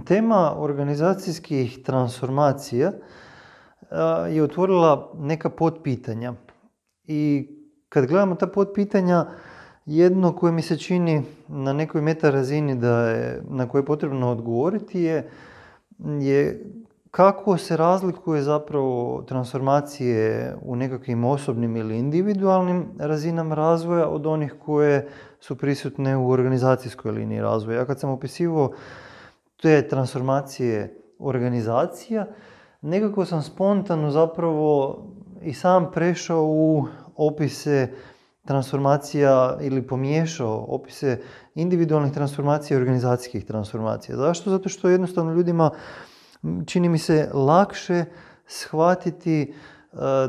Tema organizacijskih transformacija je otvorila neka potpitanja. I kad gledamo ta potpitanja, jedno koje mi se čini na nekoj meta razini na koje je potrebno odgovoriti je kako se razlikuje zapravo transformacije u nekakvim osobnim ili individualnim razinama razvoja od onih koje su prisutne u organizacijskoj liniji razvoja. Ja kad sam opisivao te transformacije organizacija, nekako sam spontano zapravo i sam prešao u opise transformacija ili pomiješao opise individualnih transformacija i organizacijskih transformacija. Zašto? Zato što jednostavno ljudima čini mi se lakše shvatiti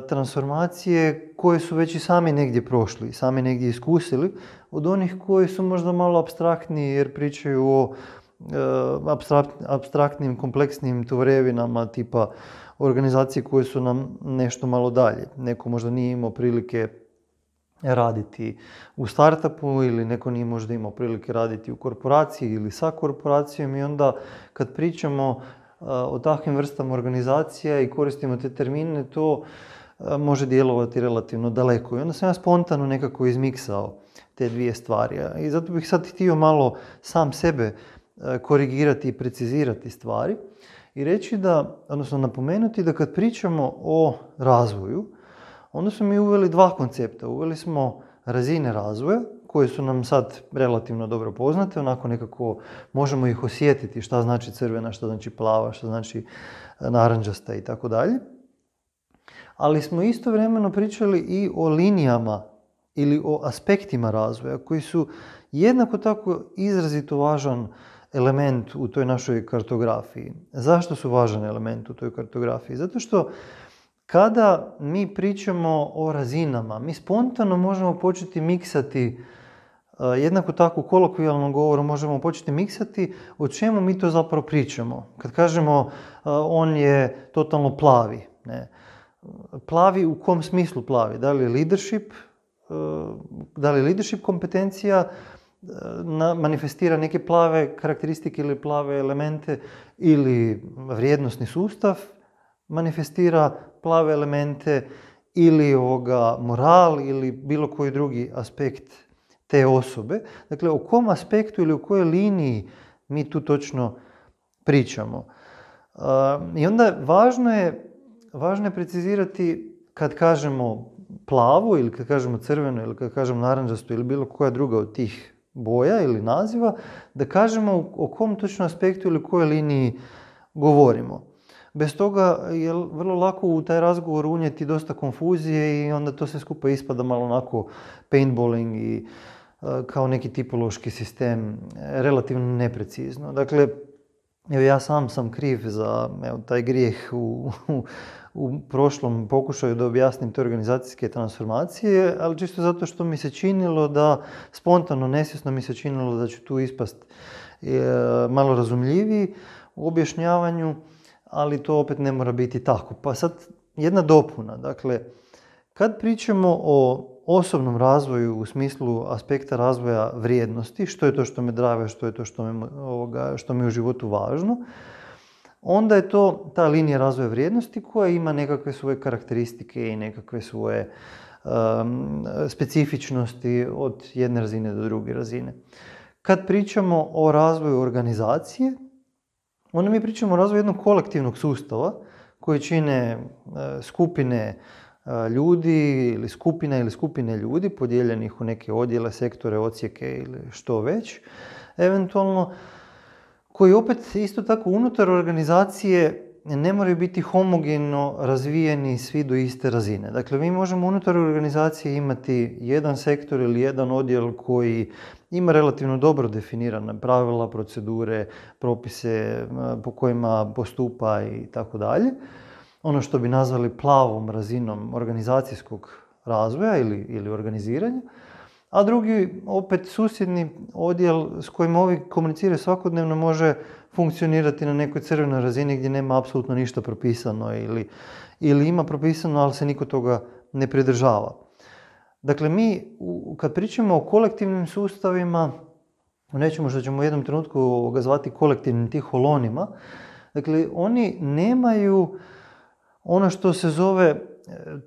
transformacije koje su već i sami negdje prošli, sami negdje iskusili, od onih koji su možda malo apstraktniji jer pričaju o apstraktnim, kompleksnim tvorevinama tipa organizacije koje su nam nešto malo dalje. Neko možda nije imao prilike raditi u startupu ili neko nije možda imao prilike raditi u korporaciji ili sa korporacijom i onda kad pričamo o takvim vrstama organizacija i koristimo te termine, to može djelovati relativno daleko. I onda sam ja spontano nekako izmiksao te dvije stvari. I zato bih sad htio malo sam sebe korigirati i precizirati stvari i reći odnosno napomenuti da kad pričamo o razvoju, onda smo mi uveli dva koncepta. Uveli smo razine razvoja, koje su nam sad relativno dobro poznate, onako nekako možemo ih osjetiti šta znači crvena, šta znači plava, šta znači narančasta i tako dalje. Ali smo istovremeno pričali i o linijama ili o aspektima razvoja koji su jednako tako izrazito važan element u toj našoj kartografiji. Zašto su važan element u toj kartografiji? Zato što kada mi pričamo o razinama, mi spontano možemo početi miksati, jednako tako u kolokvijalnom govoru možemo početi miksati o čemu mi to zapravo pričamo. Kad kažemo on je totalno plavi. Ne? Plavi u kom smislu plavi? Da li je leadership kompetencija, manifestira neke plave karakteristike ili plave elemente ili vrijednosni sustav manifestira plave elemente ili moral ili bilo koji drugi aspekt te osobe. Dakle, o kom aspektu ili u kojoj liniji mi tu točno pričamo. I onda važno je precizirati kad kažemo plavo ili kad kažemo crveno ili kad kažemo narančasto ili bilo koja druga od tih boja ili naziva, da kažemo o kom točno aspektu ili kojoj liniji govorimo. Bez toga je vrlo lako u taj razgovor unijeti dosta konfuzije i onda to sve skupa ispada malo onako paintballing i kao neki tipološki sistem, relativno neprecizno. Dakle, ja sam kriv za taj grijeh u prošlom pokušaju da objasnim te organizacijske transformacije, ali čisto zato što mi se činilo da, spontano, nesvjesno mi se činilo da ću tu ispast malo razumljiviji u objašnjavanju, ali to opet ne mora biti tako. Pa sad jedna dopuna. Dakle, kad pričamo o osobnom razvoju u smislu aspekta razvoja vrijednosti, što je to što me drive, što je to što mi je u životu važno, onda je to ta linija razvoja vrijednosti koja ima nekakve svoje karakteristike i nekakve svoje specifičnosti od jedne razine do druge razine. Kad pričamo o razvoju organizacije, onda mi pričamo o razvoju jednog kolektivnog sustava koji čine skupine ljudi ili skupine ljudi podijeljenih u neke odjele, sektore, odsjeke ili što već, eventualno, koji opet isto tako unutar organizacije ne moraju biti homogeno razvijeni svi do iste razine. Dakle, mi možemo unutar organizacije imati jedan sektor ili jedan odjel koji ima relativno dobro definirane pravila, procedure, propise po kojima postupa i tako dalje. Ono što bi nazvali plavom razinom organizacijskog razvoja ili organiziranja. A drugi, opet susjedni odjel s kojim ovi komuniciraju svakodnevno može funkcionirati na nekoj crvenoj razini gdje nema apsolutno ništa propisano ili ima propisano, ali se niko toga ne pridržava. Dakle, mi kad pričamo o kolektivnim sustavima, u nečemu što ćemo u jednom trenutku zvati kolektivnim tiholonima. Dakle, oni nemaju ono što se zove,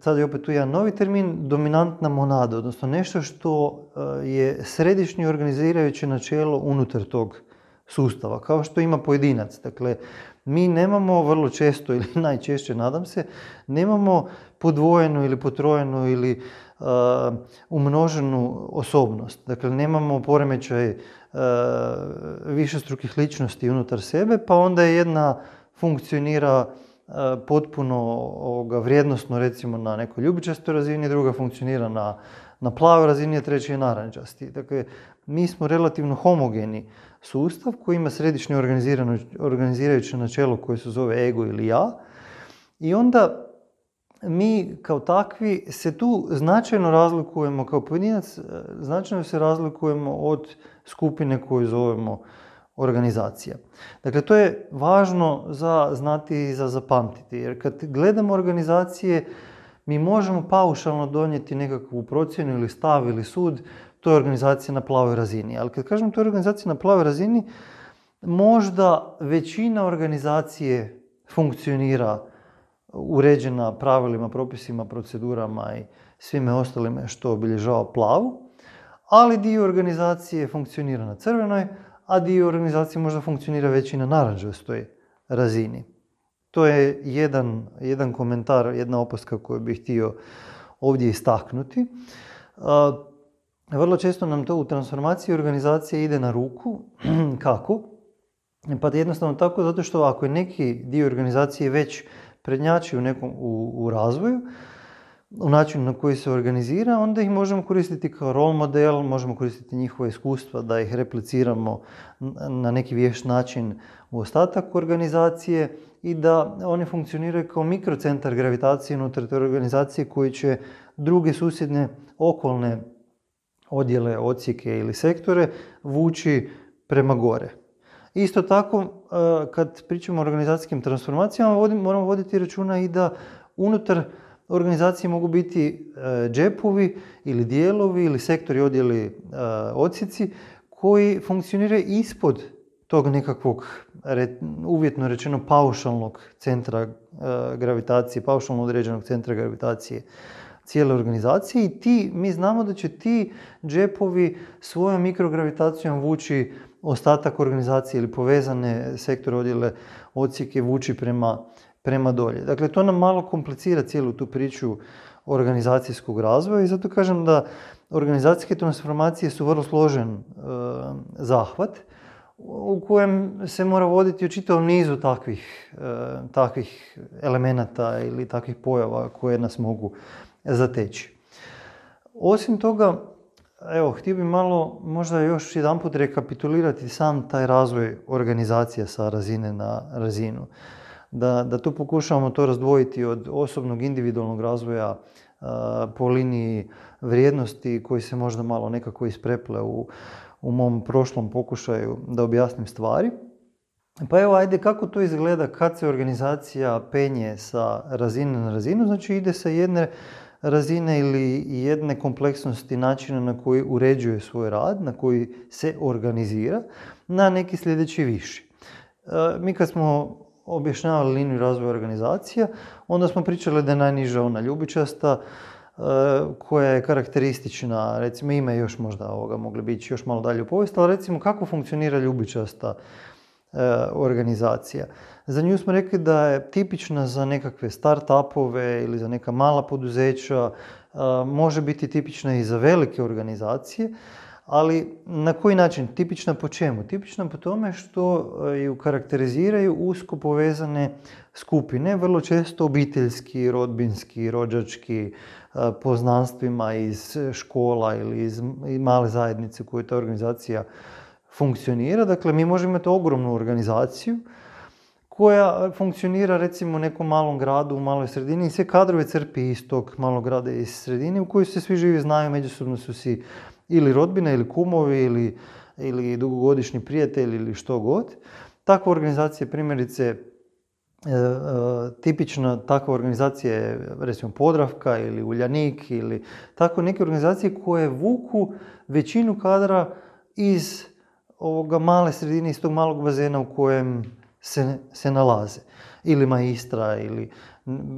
sad je opet tu jedan novi termin, dominantna monada, odnosno nešto što je središnje organizirajuće načelo unutar tog sustava, kao što ima pojedinac. Dakle, mi nemamo vrlo često, ili najčešće, nadam se, nemamo podvojenu ili potrojenu ili umnoženu osobnost. Dakle, nemamo poremećaj višestrukih ličnosti unutar sebe, pa onda jedna funkcionira potpuno vrijednosno, recimo na nekoj ljubičastoj razini, druga funkcionira na plavoj razini, a treći je narančasti. Dakle, mi smo relativno homogeni sustav koji ima središnje organizirajuće načelo koje se zove ego ili ja. I onda mi kao takvi se tu značajno razlikujemo kao pojedinac, značajno se razlikujemo od skupine koju zovemo organizacija. Dakle, to je važno za znati i za zapamtiti, jer kad gledamo organizacije, mi možemo paušalno donijeti nekakvu procjenu ili stav ili sud, to je organizacija na plavoj razini. Ali kad kažem to je organizacija na plavoj razini, možda većina organizacije funkcionira uređena pravilima, propisima, procedurama i svime ostalime što obilježava plavu, ali dio organizacije funkcionira na crvenoj, a dio organizacije možda funkcionira već i na narančastoj razini. To je jedan komentar, jedna opaska koju bih htio ovdje istaknuti. Vrlo često nam to u transformaciji organizacije ide na ruku. Kako? Pa jednostavno tako zato što ako je neki dio organizacije već prednjači u razvoju, u načinu na koji se organizira, onda ih možemo koristiti kao role model, možemo koristiti njihova iskustva da ih repliciramo na neki vješt način u ostatak organizacije i da oni funkcioniraju kao mikrocentar gravitacije unutar te organizacije koji će druge susjedne okolne odjele, odsjeke ili sektore vući prema gore. Isto tako, kad pričamo o organizacijskim transformacijama, moramo voditi računa i da unutar organizacije mogu biti džepovi ili dijelovi ili sektori, odjeli, odsjeci koji funkcioniraju ispod tog nekakvog, uvjetno rečeno, paušalnog centra gravitacije, paušalno određenog centra gravitacije cijele organizacije i mi znamo da će ti džepovi svojom mikrogravitacijom vući ostatak organizacije ili povezane sektore, odjele, odsjeke vući prema dolje. Dakle, to nam malo komplicira cijelu tu priču organizacijskog razvoja i zato kažem da organizacijske transformacije su vrlo složen zahvat u kojem se mora voditi o čitavom nizu takvih elemenata ili takvih pojava koje nas mogu zateći. Osim toga, htio bih malo možda još jedanput rekapitulirati sam taj razvoj organizacije sa razine na razinu. Da tu pokušavamo to razdvojiti od osobnog individualnog razvoja po liniji vrijednosti koji se možda malo nekako ispreple u mom prošlom pokušaju da objasnim stvari. Pa ajde kako to izgleda kad se organizacija penje sa razine na razinu, znači ide sa jedne razine ili jedne kompleksnosti načina na koji uređuje svoj rad, na koji se organizira, na neki sljedeći viši. Mi kad smo objašnjavali liniju razvoja organizacija, onda smo pričali da je najniža ona ljubičasta, koja je karakteristična, recimo ime još možda mogli biti još malo dalje u povijest, ali recimo kako funkcionira ljubičasta organizacija. Za nju smo rekli da je tipična za nekakve start-upove ili za neka mala poduzeća, može biti tipična i za velike organizacije, ali na koji način? Tipična po čemu? Tipična po tome što ju karakteriziraju usko povezane skupine, vrlo često obiteljski, rodbinski, rođački, poznanstvima iz škola ili iz male zajednice u kojoj ta organizacija funkcionira. Dakle, mi možemo imati ogromnu organizaciju koja funkcionira recimo u nekom malom gradu, u maloj sredini i sve kadrove crpi iz tog malog grada iz sredine u kojoj se svi živi znaju, međusobno su si ili rodbina ili kumovi ili dugogodišnji prijatelji ili što god. Takva organizacija je primjerice tipična takva organizacija je recimo Podravka ili Uljanik ili tako neke organizacije koje vuku većinu kadra iz male sredine, iz tog malog bazena u kojem se nalaze. Ili Maistra ili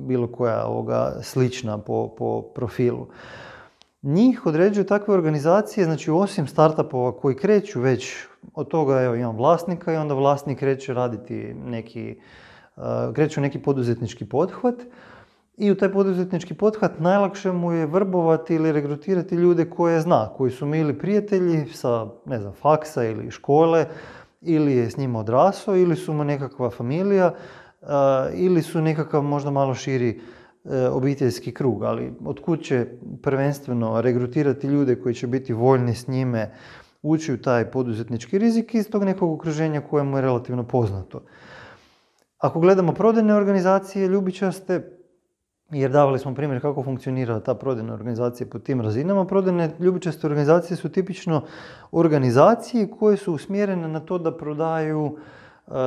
bilo koja slična po profilu. Njih određuju takve organizacije, znači osim startupova koji kreću već od toga, evo imam vlasnika i onda vlasnik kreće raditi kreće neki poduzetnički pothvat i u taj poduzetnički pothvat najlakše mu je vrbovati ili regrutirati ljude koje zna, koji su mili prijatelji sa, faksa ili škole, ili je s njima odrasao, ili su mu nekakva familija, ili su nekakav možda malo širi obiteljski krug, ali otkud će prvenstveno regrutirati ljude koji će biti voljni s njime ući u taj poduzetnički rizik iz tog nekog okruženja koje mu je relativno poznato. Ako gledamo prodajne organizacije ljubičaste, jer davali smo primjer kako funkcionira ta prodajna organizacija po tim razinama, prodajne ljubičaste organizacije su tipično organizacije koje su usmjerene na to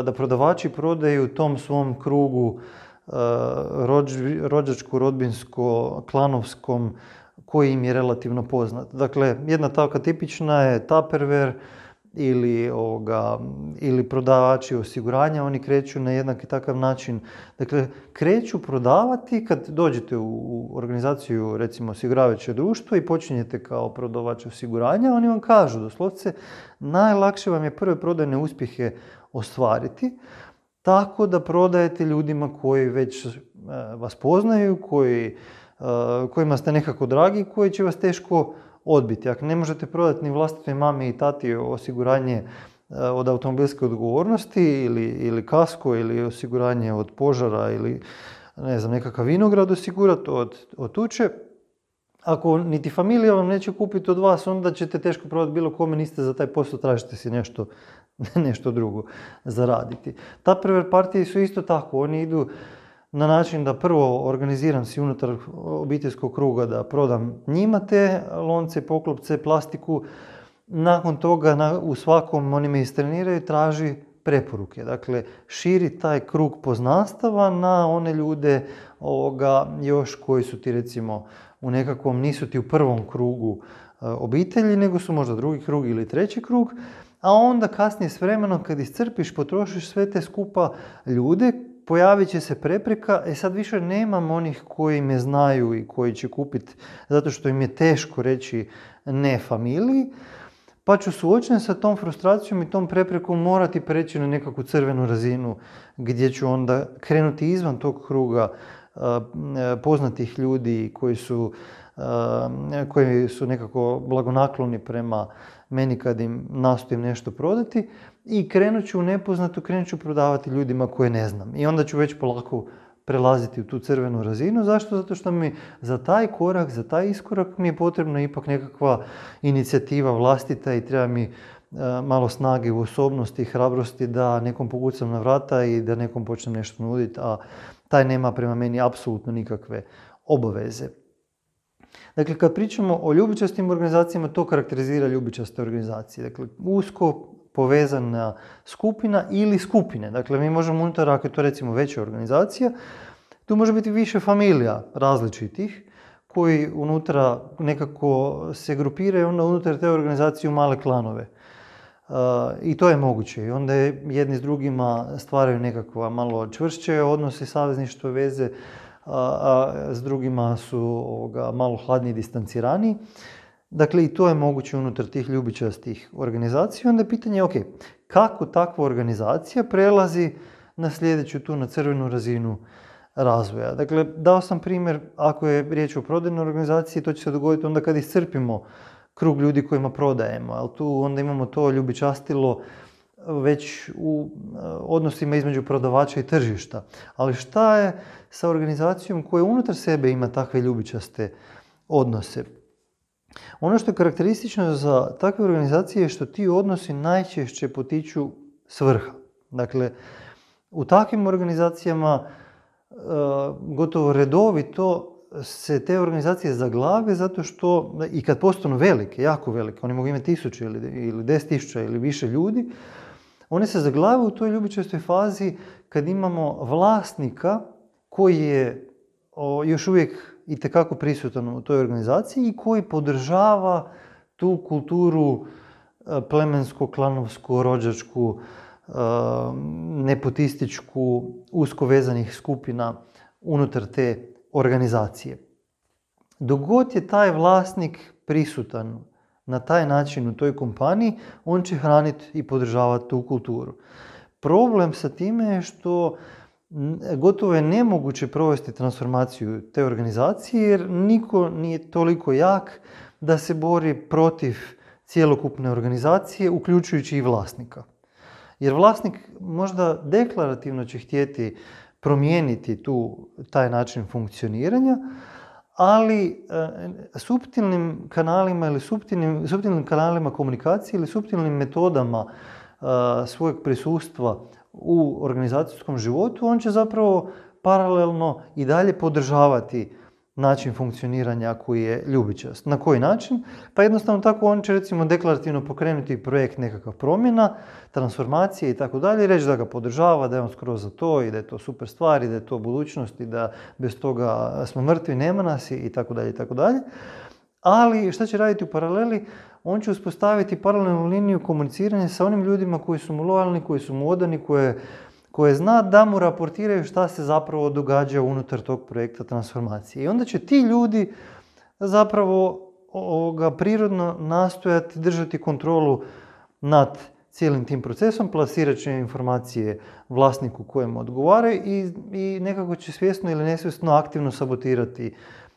da prodavači prodaju tom svom krugu rođačko, rodbinsko, klanovskom, koji im je relativno poznat. Dakle, jedna takva tipična je Tupperware ili prodavači osiguranja, oni kreću na jednaki takav način. Dakle, kreću prodavati kad dođete u organizaciju, recimo osiguravajuće društvo i počinjete kao prodavač osiguranja, oni vam kažu doslovce najlakše vam je prve prodajne uspjehe ostvariti tako da prodajete ljudima koji već vas poznaju, kojima ste nekako dragi, koji će vas teško odbiti. Ako ne možete prodati ni vlastitoj mami i tati osiguranje od automobilske odgovornosti ili kasko ili osiguranje od požara ili nekakav vinograd osigurati od tuče, ako niti familija vam neće kupiti od vas, onda ćete teško prodati bilo kome, niste za taj posao, tražite si nešto drugo zaraditi. Tupperware partije su isto tako, oni idu na način da prvo organiziram si unutar obiteljskog kruga da prodam njima te lonce, poklopce, plastiku. Nakon toga u svakom oni me istreniraju i traži preporuke. Dakle, širi taj krug poznanstava na one ljude još koji su ti recimo u nekakvom, nisu ti u prvom krugu obitelji, nego su možda drugi krug ili treći krug. A onda kasnije s vremenom kad iscrpiš, potrošiš sve te skupa ljude, pojavit će se prepreka, sad više nemam onih koji me znaju i koji će kupiti zato što im je teško reći ne familiji, pa ću suočen sa tom frustracijom i tom preprekom morati preći na nekakvu crvenu razinu gdje ću onda krenuti izvan tog kruga poznatih ljudi koji su nekako blagonakloni prema meni kad im nastojim nešto prodati i krenut ću u nepoznato, krenut ću prodavati ljudima koje ne znam. I onda ću već polako prelaziti u tu crvenu razinu. Zašto? Zato što mi za taj korak, za taj iskorak mi je potrebna ipak nekakva inicijativa vlastita i treba mi malo snage u osobnosti i hrabrosti da nekom pokucam na vrata i da nekom počnem nešto nuditi, a taj nema prema meni apsolutno nikakve obaveze. Dakle, kad pričamo o ljubičastim organizacijama, to karakterizira ljubičaste organizacije. Dakle, usko povezana skupina ili skupine. Dakle, mi možemo unutar, ako je to recimo veća organizacija, tu može biti više familija različitih koji unutra nekako se grupiraju onda unutar te organizacije u male klanove. I to je moguće. I onda jedni s drugima stvaraju nekakva malo čvršće odnose, savezništvo, veze, a s drugima su malo hladniji i distancirani. Dakle, i to je moguće unutar tih ljubičastih organizacija. Onda je pitanje, kako takva organizacija prelazi na sljedeću tu, na crvenu razinu razvoja. Dakle, dao sam primjer, ako je riječ o prodajnoj organizaciji, to će se dogoditi onda kad iscrpimo krug ljudi kojima prodajemo. Ali tu onda imamo to ljubičastilo već u odnosima između prodavača i tržišta. Ali šta je sa organizacijom koja unutar sebe ima takve ljubičaste odnose? Ono što je karakteristično za takve organizacije je što ti odnosi najčešće potiču s vrha. Dakle, u takvim organizacijama gotovo redovito se te organizacije zaglave zato što, i kad postanu velike, jako velike, oni mogu imati 1000 ili 10.000 ili više ljudi, one se zaglave u toj ljubičastoj fazi kad imamo vlasnika koji je još uvijek itekako prisutan u toj organizaciji i koji podržava tu kulturu plemensko, klanovsku, rođačku, nepotističku, usko vezanih skupina unutar te organizacije. Dok god je taj vlasnik prisutan na taj način u toj kompaniji, on će hraniti i podržavati tu kulturu. Problem sa time je što gotovo je nemoguće provesti transformaciju te organizacije jer niko nije toliko jak da se bori protiv cjelokupne organizacije, uključujući i vlasnika. Jer vlasnik možda deklarativno će htjeti promijeniti taj način funkcioniranja, ali suptilnim kanalima ili suptilnim kanalima komunikacije ili suptilnim metodama svojeg prisustva u organizacijskom životu, on će zapravo paralelno i dalje podržavati način funkcioniranja koji je ljubičast. Na koji način? Pa jednostavno tako on će recimo deklarativno pokrenuti projekt nekakav promjena, transformacije i tako dalje, reći da ga podržava, da je on skroz za to i da je to super stvar i da je to budućnost i da bez toga smo mrtvi, nema nas i tako dalje i tako dalje. Ali šta će raditi u paraleli? On će uspostaviti paralelnu liniju komuniciranja sa onim ljudima koji su mu lojalni, koji su mu odani, koje zna da mu raportiraju šta se zapravo događa unutar tog projekta transformacije. I onda će ti ljudi zapravo prirodno nastojati držati kontrolu nad cijelim tim procesom, plasirat će informacije vlasniku kojemu odgovaraju i nekako će svjesno ili nesvjesno aktivno sabotirati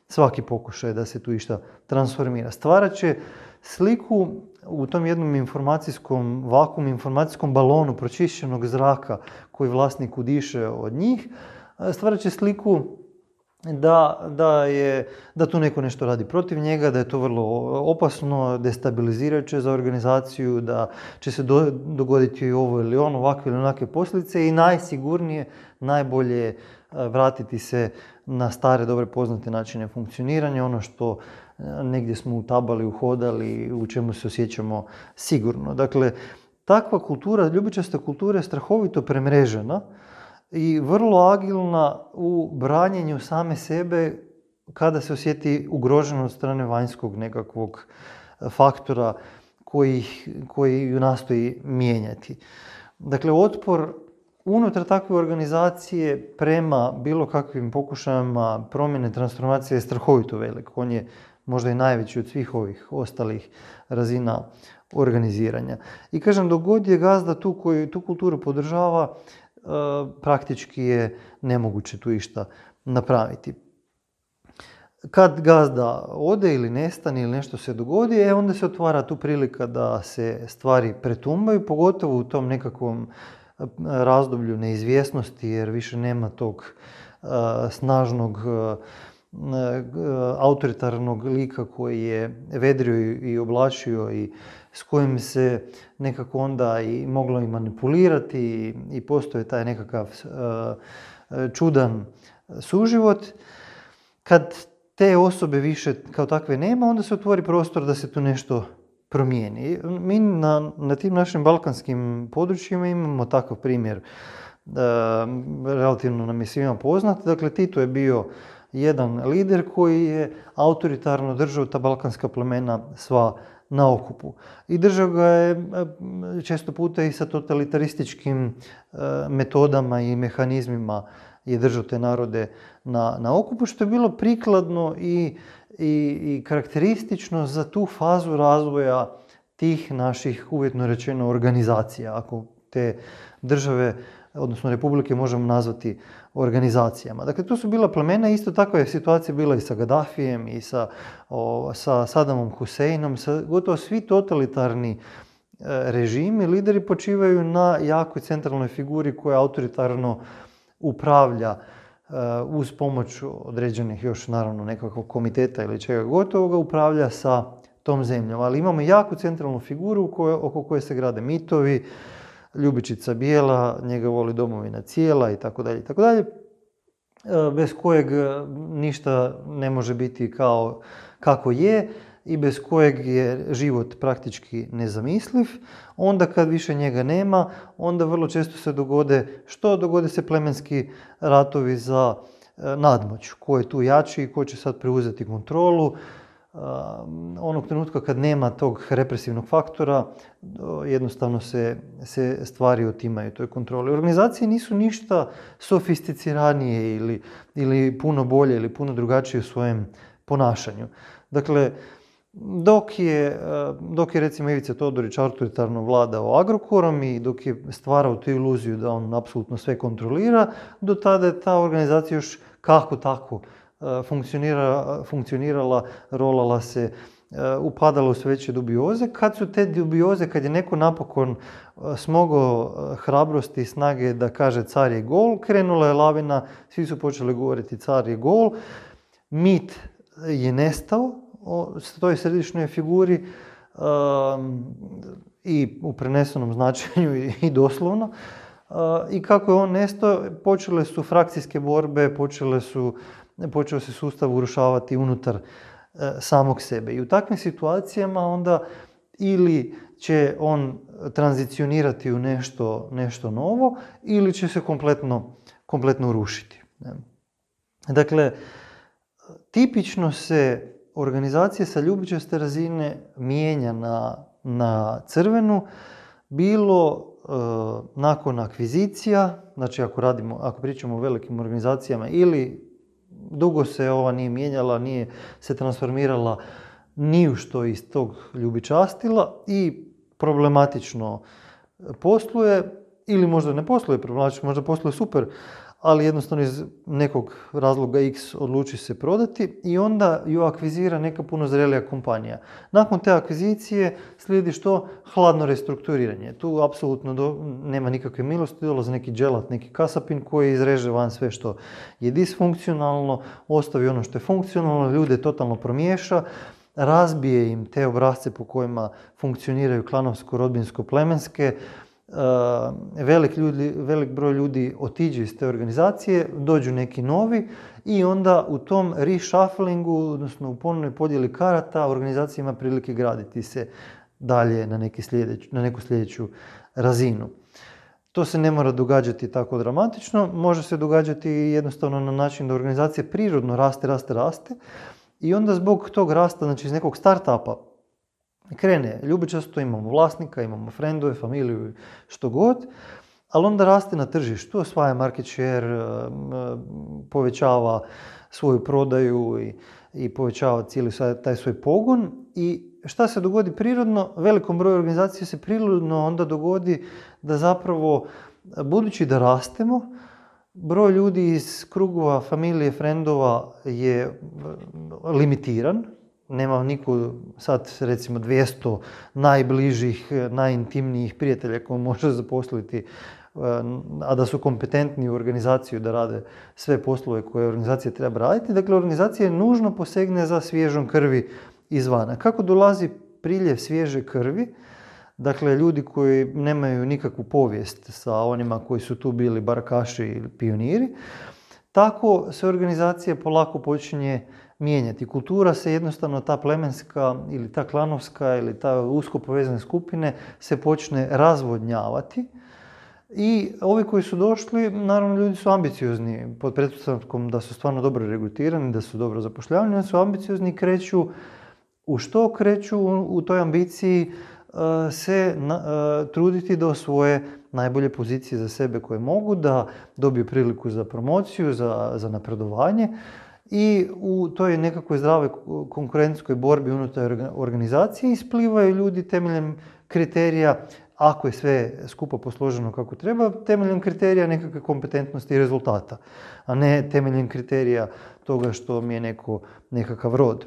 svaki pokušaj da se tu išta transformira. Stvarat će sliku u tom jednom informacijskom vakuumu, informacijskom balonu pročišćenog zraka koji vlasnik udiše od njih, stvarat će sliku da tu neko nešto radi protiv njega, da je to vrlo opasno, destabilizirajuće za organizaciju, da će se dogoditi ovo ili ono, ovakve ili onakve posljedice i najsigurnije, najbolje je vratiti se na stare, dobre poznate načine funkcioniranja, ono što negdje smo utabali, uhodali, u čemu se osjećamo sigurno. Dakle, takva kultura, ljubičasta kultura je strahovito premrežena i vrlo agilna u branjenju same sebe kada se osjeti ugroženo od strane vanjskog nekakvog faktora koji ju nastoji mijenjati. Dakle, otpor unutar takve organizacije prema bilo kakvim pokušajima promjene transformacije je strahovito velik. On je možda i najveći od svih ovih ostalih razina organiziranja. I kažem, dok god je gazda tu koji tu kulturu podržava, praktički je nemoguće tu išta napraviti. Kad gazda ode ili nestane ili nešto se dogodi, onda se otvara tu prilika da se stvari pretumbaju, pogotovo u tom nekakvom razdoblju neizvjesnosti, jer više nema tog snažnog autoritarnog lika koji je vedrio i oblačio i s kojim se nekako onda i moglo i manipulirati i postoje taj nekakav čudan suživot. Kad te osobe više kao takve nema, onda se otvori prostor da se tu nešto promijeni. Mi na tim našim balkanskim područjima imamo takav primjer. Relativno nam je svima poznat. Dakle, Tito je bio jedan lider koji je autoritarno držao ta balkanska plemena sva na okupu. I držao ga je često puta i sa totalitarističkim metodama i mehanizmima je držao te narode na okupu, što je bilo prikladno i karakteristično za tu fazu razvoja tih naših, uvjetno rečeno, organizacija. Ako te države, odnosno republike, možemo nazvati organizacijama. Dakle, to su bila plemena, isto takva je situacija bila i sa Gaddafijem i sa Sadamom Huseinom, gotovo svi totalitarni režimi, lideri počivaju na jakoj centralnoj figuri koja autoritarno upravlja uz pomoć određenih još naravno nekakvog komiteta ili čega gotovoga, upravlja sa tom zemljom. Ali imamo jaku centralnu figuru oko koje se grade mitovi, Ljubičica bijela, njega voli domovina cijela i tako dalje, bez kojeg ništa ne može biti kako je i bez kojeg je život praktički nezamisliv. Onda kad više njega nema, onda vrlo često se dogode se plemenski ratovi za nadmoć. Ko je tu jači i ko će sad preuzeti kontrolu. onog trenutka kad nema tog represivnog faktora, jednostavno se stvari otimaju toj kontroli. Organizacije nisu ništa sofisticiranije ili puno bolje ili puno drugačije u svojem ponašanju. Dakle, dok je recimo Ivica Todorić autoritarno vladao Agrokorom i dok je stvarao tu iluziju da on apsolutno sve kontrolira, do tada je ta organizacija još kako tako funkcionirala, rolala se, upadala u sve veće dubioze. Kad su te dubioze, kad je neko napokon smogao hrabrosti i snage da kaže car je gol, krenula je lavina, svi su počeli govoriti car je gol, mit je nestao o toj središnjoj figuri i u prenesenom značenju i doslovno. I kako je on nestao, počele su frakcijske borbe, počeo se sustav urušavati unutar samog sebe. I u takvim situacijama onda ili će on tranzicionirati u nešto novo ili će se kompletno urušiti. Dakle, tipično se organizacija sa ljubičaste razine mijenja na crvenu, bilo nakon akvizicija, znači ako pričamo o velikim organizacijama, ili dugo se ova nije mijenjala, nije se transformirala ni u što iz tog ljubičastila i problematično posluje, ili možda ne posluje problematično, možda posluje super, ali jednostavno iz nekog razloga X odluči se prodati i onda ju akvizira neka puno zrelija kompanija. Nakon te akvizicije slijedi što? Hladno restrukturiranje. Tu apsolutno nema nikakve milosti, dolazi neki dželat, neki kasapin koji izreže van sve što je disfunkcionalno, ostavi ono što je funkcionalno, ljude totalno promiješa, razbije im te obrasce po kojima funkcioniraju klanovsko-rodbinsko-plemenske, velik broj ljudi otiđe iz te organizacije, dođu neki novi i onda u tom reshufflingu, odnosno u ponovnoj podjeli karata, organizacija ima prilike graditi se dalje na neku sljedeću razinu. To se ne mora događati tako dramatično, može se događati jednostavno na način da organizacija prirodno raste i onda zbog tog rasta, znači iz nekog startupa, krene ljubičasto, imamo vlasnika, imamo frendove, familiju, što god, ali onda raste na tržištu, osvaja market share, povećava svoju prodaju i povećava cijeli taj svoj pogon. I šta se dogodi prirodno? Velikom broju organizacija se prirodno onda dogodi da zapravo, budući da rastemo, broj ljudi iz krugova familije, frendova je limitiran. Nema niko sad recimo 200 najbližih, najintimnijih prijatelja koji može zaposliti, a da su kompetentni u organizaciju da rade sve poslove koje organizacija treba raditi. Dakle, organizacija nužno posegne za svježom krvi izvana. Kako dolazi priljev svježe krvi? Dakle, ljudi koji nemaju nikakvu povijest sa onima koji su tu bili barakaši ili pioniri, tako se organizacija polako počinje mijenjati. Kultura se jednostavno, ta plemenska ili ta klanovska ili ta usko povezane skupine se počne razvodnjavati i ovi koji su došli, naravno ljudi su ambiciozni pod pretpostavkom da su stvarno dobro regrutirani, da su dobro zapošljavani, oni su ambiciozni i kreću u toj ambiciji se truditi da osvoje najbolje pozicije za sebe koje mogu, da dobiju priliku za promociju, za napredovanje. I u toj nekakvoj zdravoj konkurentskoj borbi unutar organizacije isplivaju ljudi temeljem kriterija, ako je sve skupo posloženo kako treba, temeljem kriterija nekakve kompetentnosti i rezultata, a ne temeljem kriterija toga što mi je nekakav rod.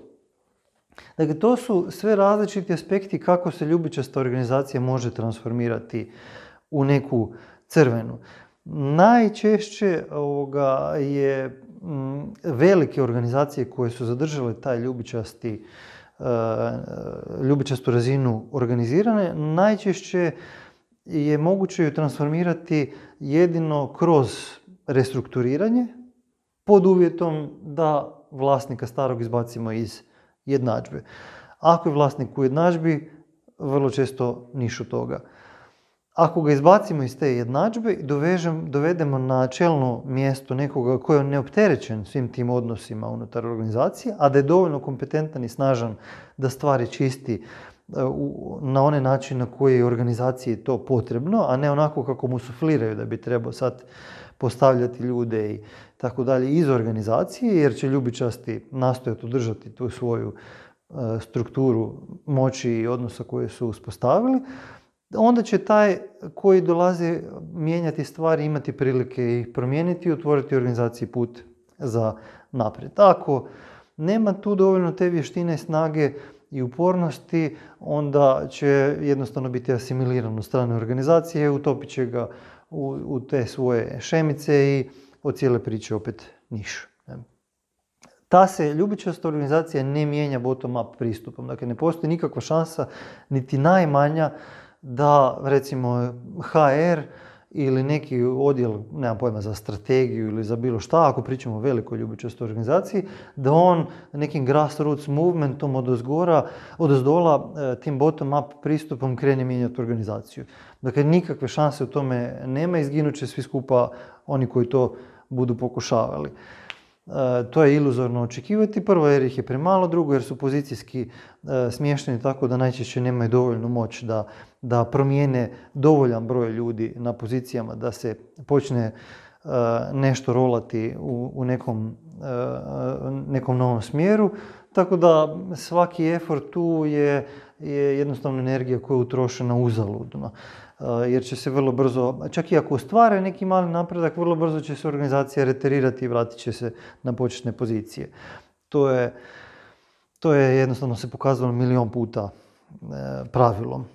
Dakle, to su sve različiti aspekti kako se ljubičasta organizacija može transformirati u neku crvenu. Najčešće je velike organizacije koje su zadržale taj ljubičastu razinu organizirane, najčešće je moguće ju transformirati jedino kroz restrukturiranje pod uvjetom da vlasnika starog izbacimo iz jednadžbe. Ako je vlasnik u jednadžbi, vrlo često niš od toga. ako ga izbacimo iz te jednadžbe i dovedemo na čelno mjesto nekoga koji je neopterećen svim tim odnosima unutar organizacije, a da je dovoljno kompetentan i snažan da stvari čisti na onaj način na koji je organizaciji to potrebno, a ne onako kako mu sufliraju da bi trebao sad postavljati ljude i tako dalje iz organizacije, jer će ljubičasti nastojati održati tu svoju strukturu moći i odnosa koje su uspostavili, onda će taj koji dolazi mijenjati stvari imati prilike ih promijeniti i otvoriti organizaciji put za naprijed. Ako nema tu dovoljno te vještine, snage i upornosti, onda će jednostavno biti asimiliran od strane organizacije, utopit će ga u te svoje šemice i od cijele priče opet niš. Ta se ljubičasta organizacija ne mijenja bottom-up pristupom. Dakle, ne postoji nikakva šansa, niti najmanja, da recimo HR ili neki odjel, nemam pojma, za strategiju ili za bilo šta, ako pričamo o velikoj ljubičastoj organizaciji, da on nekim grassroots movementom odozdola tim bottom-up pristupom krene mijenjati organizaciju. Dakle, nikakve šanse u tome nema, izginut će svi skupa oni koji to budu pokušavali. To je iluzorno očekivati, prvo jer ih je premalo, drugo jer su pozicijski smješteni tako da najčešće nemaju dovoljnu moć da promijene dovoljan broj ljudi na pozicijama, da se počne nešto rolati u nekom novom smjeru. Tako da svaki effort tu je jednostavno energija koja je utrošena uzaludno. Jer će se vrlo brzo, čak i ako ostvare neki mali napredak, vrlo brzo će se organizacija reterirati i vratit će se na početne pozicije. To je jednostavno se pokazalo milion puta pravilom.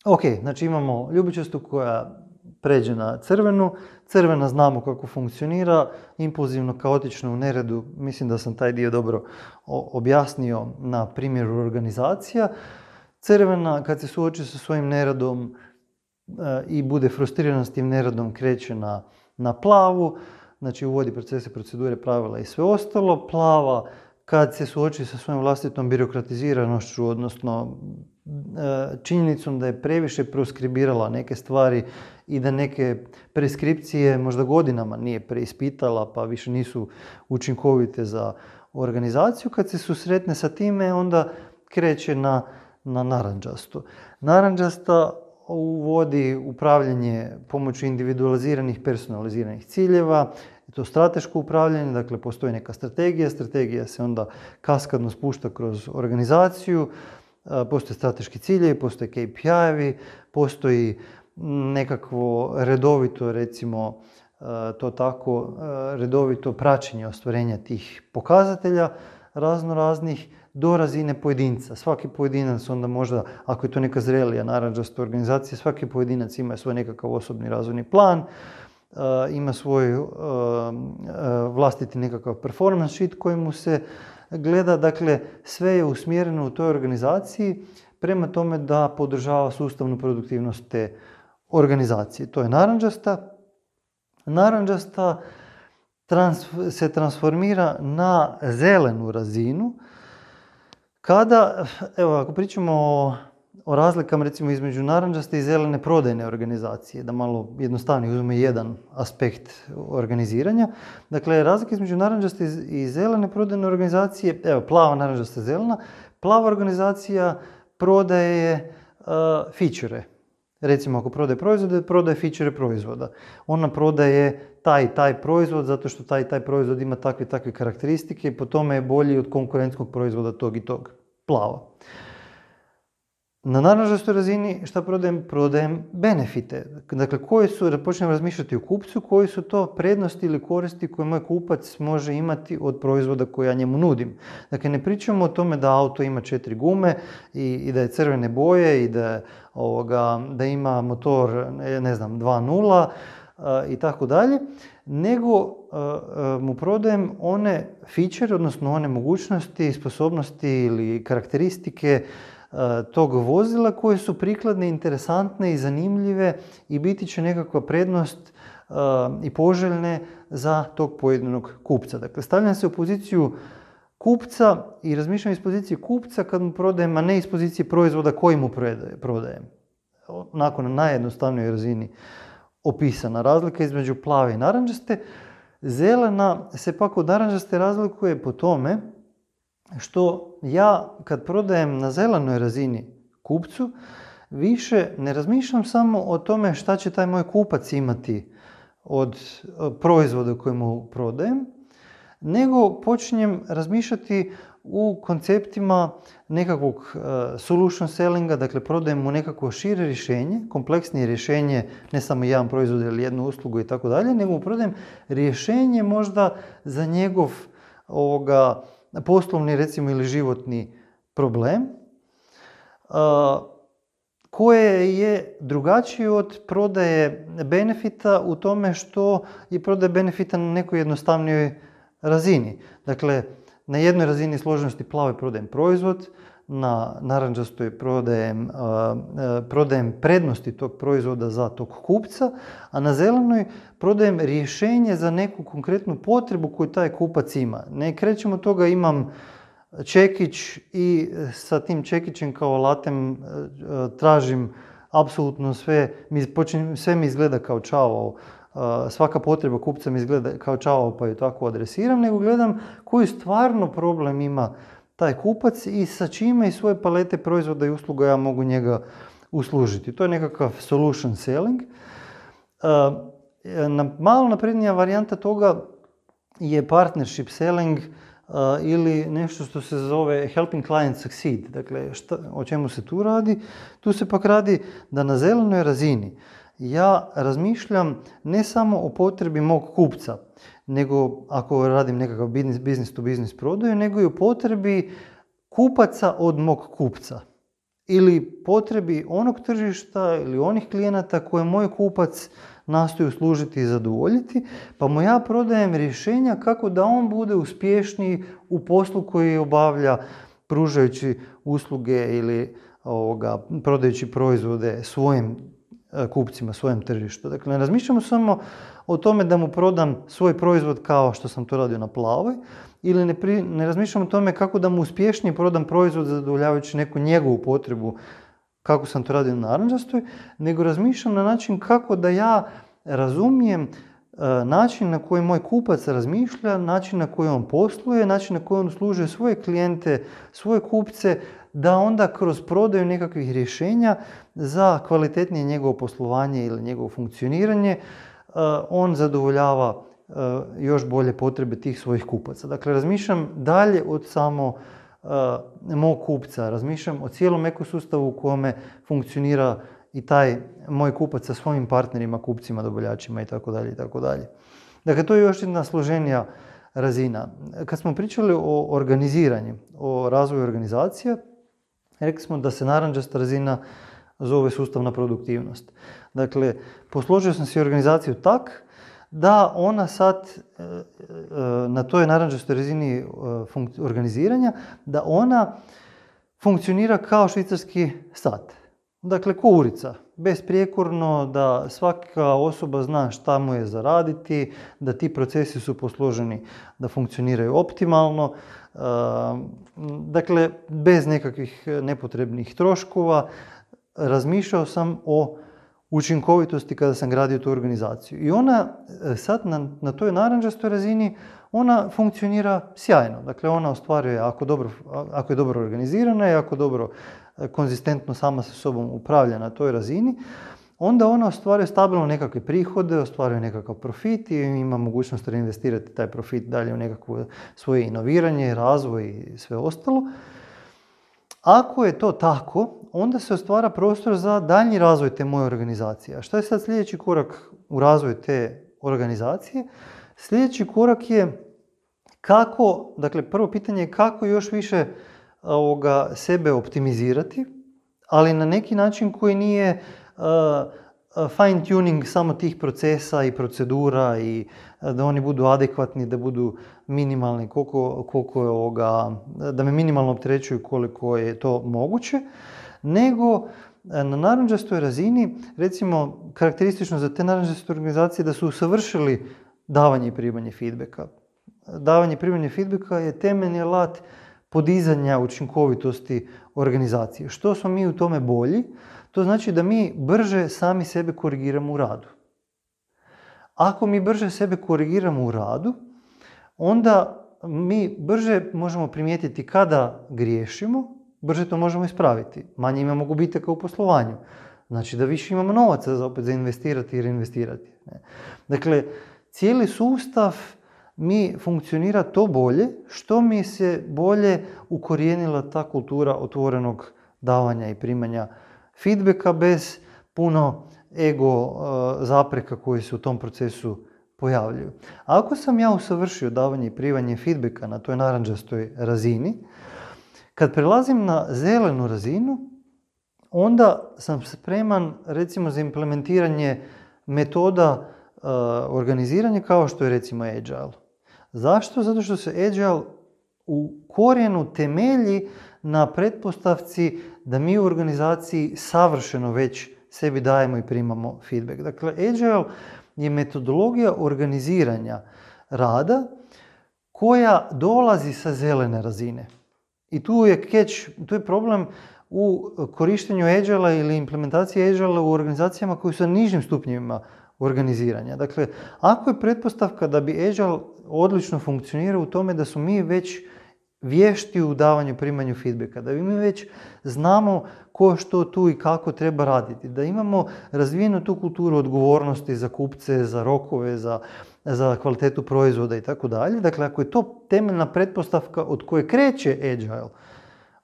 Ok, znači imamo ljubičastu koja pređe na crvenu. Crvena znamo kako funkcionira, impulzivno, kaotično, u neredu. Mislim da sam taj dio dobro objasnio na primjeru organizacija. Crvena, kad se suoči sa svojim neredom i bude frustrirana s tim neredom, kreće na plavu, znači uvodi procese, procedure, pravila i sve ostalo. Plava, kad se suoči sa svojom vlastitom birokratiziranošću, odnosno činjenicom da je previše proskribirala neke stvari i da neke preskripcije možda godinama nije preispitala pa više nisu učinkovite za organizaciju. Kad se susretne sa time, onda kreće na narančastu. Narančasta uvodi upravljanje pomoću individualiziranih, personaliziranih ciljeva. To strateško upravljanje, dakle postoji neka strategija se onda kaskadno spušta kroz organizaciju, postoje strateški ciljevi, postoje KPI-evi, postoji nekakvo redovito, recimo to tako, redovito praćenje ostvarenja tih pokazatelja razno raznih do razine pojedinca. Svaki pojedinac onda možda, ako je to neka zrelija narančasta organizacija, svaki pojedinac ima svoj nekakav osobni razvojni plan, ima svoj vlastiti nekakav performance sheet koji mu se gleda. Dakle, sve je usmjereno u toj organizaciji prema tome da podržava sustavnu produktivnost te organizacije. To je narančasta. Narančasta se transformira na zelenu razinu kada, evo, ako pričamo o razlikama recimo između narančaste i zelene prodajne organizacije, da malo jednostavnije uzmemo jedan aspekt organiziranja. Dakle, razlika između narančaste i zelene prodajne organizacije, evo, plava, narančasta, zelena. Plava organizacija prodaje feature. Recimo, ako prodaje proizvode, prodaje feature proizvoda. Ona prodaje taj proizvod zato što taj proizvod ima takve karakteristike i po tome je bolji od konkurentskog proizvoda tog i tog. Plava. Na narančastoj razini šta prodajem? Prodajem benefite. Dakle, da počnem razmišljati o kupcu, koji su to prednosti ili koristi koje moj kupac može imati od proizvoda koje ja njemu nudim. Dakle, ne pričamo o tome da auto ima 4 gume i da je crvene boje i da ima motor, 2.0 i tako dalje, nego mu prodajem one feature, odnosno one mogućnosti, sposobnosti ili karakteristike tog vozila koje su prikladne, interesantne i zanimljive i biti će nekakva prednost i poželjne za tog pojedinog kupca. Dakle, stavljam se u poziciju kupca i razmišljam iz pozicije kupca kad mu prodajem, a ne iz pozicije proizvoda koji mu prodajem. onako na najjednostavnijoj razini opisana. Razlika između plave i narančaste. Zelena se pak od narančaste razlikuje po tome što ja kad prodajem na zelenoj razini kupcu, više ne razmišljam samo o tome šta će taj moj kupac imati od proizvoda koje mu prodajem, nego počinjem razmišljati u konceptima nekakvog solution sellinga, dakle prodajem mu nekakvo šire rješenje, kompleksnije rješenje, ne samo jedan proizvod ili jednu uslugu i tako dalje, nego mu prodajem rješenje možda za njegov poslovni recimo ili životni problem, koje je drugačije od prodaje benefita u tome što je prodaje benefita na nekoj jednostavnijoj razini. Dakle, na jednoj razini složenosti plave prodajem proizvod, na narančastoj prodajem prednosti tog proizvoda za tog kupca, a na zelenoj prodajem rješenje za neku konkretnu potrebu koju taj kupac ima. Ne krećemo od toga imam čekić i sa tim čekićem kao alatem tražim apsolutno sve, sve mi izgleda kao čavao, svaka potreba kupca mi izgleda kao čavao pa ju tako adresiram, nego gledam koji stvarno problem ima taj kupac i sa čime iz svoje palete proizvoda i usluga ja mogu njega uslužiti. To je nekakav solution selling. Malo naprednija varijanta toga je partnership selling ili nešto što se zove helping client succeed. Dakle, o čemu se tu radi? Tu se pak radi da na zelenoj razini ja razmišljam ne samo o potrebi mog kupca, nego ako radim nekakav business to business prodaju, nego i o potrebi kupaca od mog kupca. Ili potrebi onog tržišta ili onih klijenata koje moj kupac nastoji uslužiti i zadovoljiti, pa mu ja prodajem rješenja kako da on bude uspješniji u poslu koji obavlja pružajući usluge ili prodajući proizvode svojim kupcima, svojem tržištu. Dakle, ne razmišljamo samo o tome da mu prodam svoj proizvod kao što sam to radio na plavoj, ili ne razmišljam o tome kako da mu uspješnije prodam proizvod zadovoljavajući neku njegovu potrebu kako sam to radio na narančastoj, nego razmišljam na način kako da ja razumijem način na koji moj kupac razmišlja, način na koji on posluje, način na koji on uslužuje svoje klijente, svoje kupce, da onda kroz prodaju nekakvih rješenja za kvalitetnije njegovo poslovanje ili njegovo funkcioniranje on zadovoljava još bolje potrebe tih svojih kupaca. Dakle, razmišljam dalje od samo mog kupca, razmišljam o cijelom ekosustavu u kome funkcionira i taj moj kupac sa svojim partnerima, kupcima, dobavljačima itd. itd. Dakle, to je još jedna složenija razina. Kad smo pričali o organiziranju, o razvoju organizacija, rekli smo da se narančasta razina zove sustavna produktivnost. Dakle, posložio sam si organizaciju tak da ona sad na toj narančastoj razini organiziranja, da ona funkcionira kao švicarski sat. Dakle, ko urica, besprijekorno, da svaka osoba zna šta mu je za raditi, da ti procesi su posloženi da funkcioniraju optimalno, dakle, bez nekakvih nepotrebnih troškova. Razmišljao sam o učinkovitosti kada sam gradio tu organizaciju. I ona sad na toj narančastoj razini, ona funkcionira sjajno. Dakle, ona ostvaruje, ako je dobro organizirana i ako dobro konzistentno sama sa sobom upravlja na toj razini, onda ona ostvaruje stabilno nekakve prihode, ostvaruje nekakav profit i ima mogućnost reinvestirati taj profit dalje u nekakvo svoje inoviranje, razvoj i sve ostalo. Ako je to tako, onda se stvara prostor za daljnji razvoj te moje organizacije. A što je sad sljedeći korak u razvoju te organizacije? Sljedeći korak je kako, dakle prvo pitanje je kako još više sebe optimizirati, ali na neki način koji nije fine tuning samo tih procesa i procedura i da oni budu adekvatni, da budu minimalni, da me minimalno opterećuju koliko je to moguće, nego na narančastoj razini, recimo karakteristično za te narančaste organizacije da su usavršili davanje i primanje feedbacka. Davanje i primanje feedbacka je temeljni alat podizanja učinkovitosti organizacije. Što smo mi u tome bolji, To znači da mi brže sami sebe korigiramo u radu. Ako mi brže sebe korigiramo u radu, onda mi brže možemo primijetiti kada griješimo, brže to možemo ispraviti. Manje imamo gubitaka u poslovanju. Znači da više imamo novaca za investirati i reinvestirati. Dakle, cijeli sustav mi funkcionira to bolje što mi se bolje ukorijenila ta kultura otvorenog davanja i primanja feedbacka bez puno ego zapreka koji se u tom procesu pojavljuju. Ako sam ja usavršio davanje i primanje feedbacka na toj narančastoj razini, kad prelazim na zelenu razinu, onda sam spreman recimo za implementiranje metoda organiziranja kao što je recimo Agile. Zašto? Zato što se Agile u korijenu temelji na pretpostavci da mi u organizaciji savršeno već sebi dajemo i primamo feedback. Dakle, Agile je metodologija organiziranja rada koja dolazi sa zelene razine. I tu je catch, tu je problem u korištenju Agile ili implementaciji Agile u organizacijama koji su na nižim stupnjevima organiziranja. Dakle, ako je pretpostavka da bi Agile odlično funkcionirao u tome da su mi već vješti u davanju i primanju feedbacka, da mi već znamo ko što tu i kako treba raditi, da imamo razvijenu tu kulturu odgovornosti za kupce, za rokove, za kvalitetu proizvoda i tako dalje. Dakle, ako je to temeljna pretpostavka od koje kreće Agile,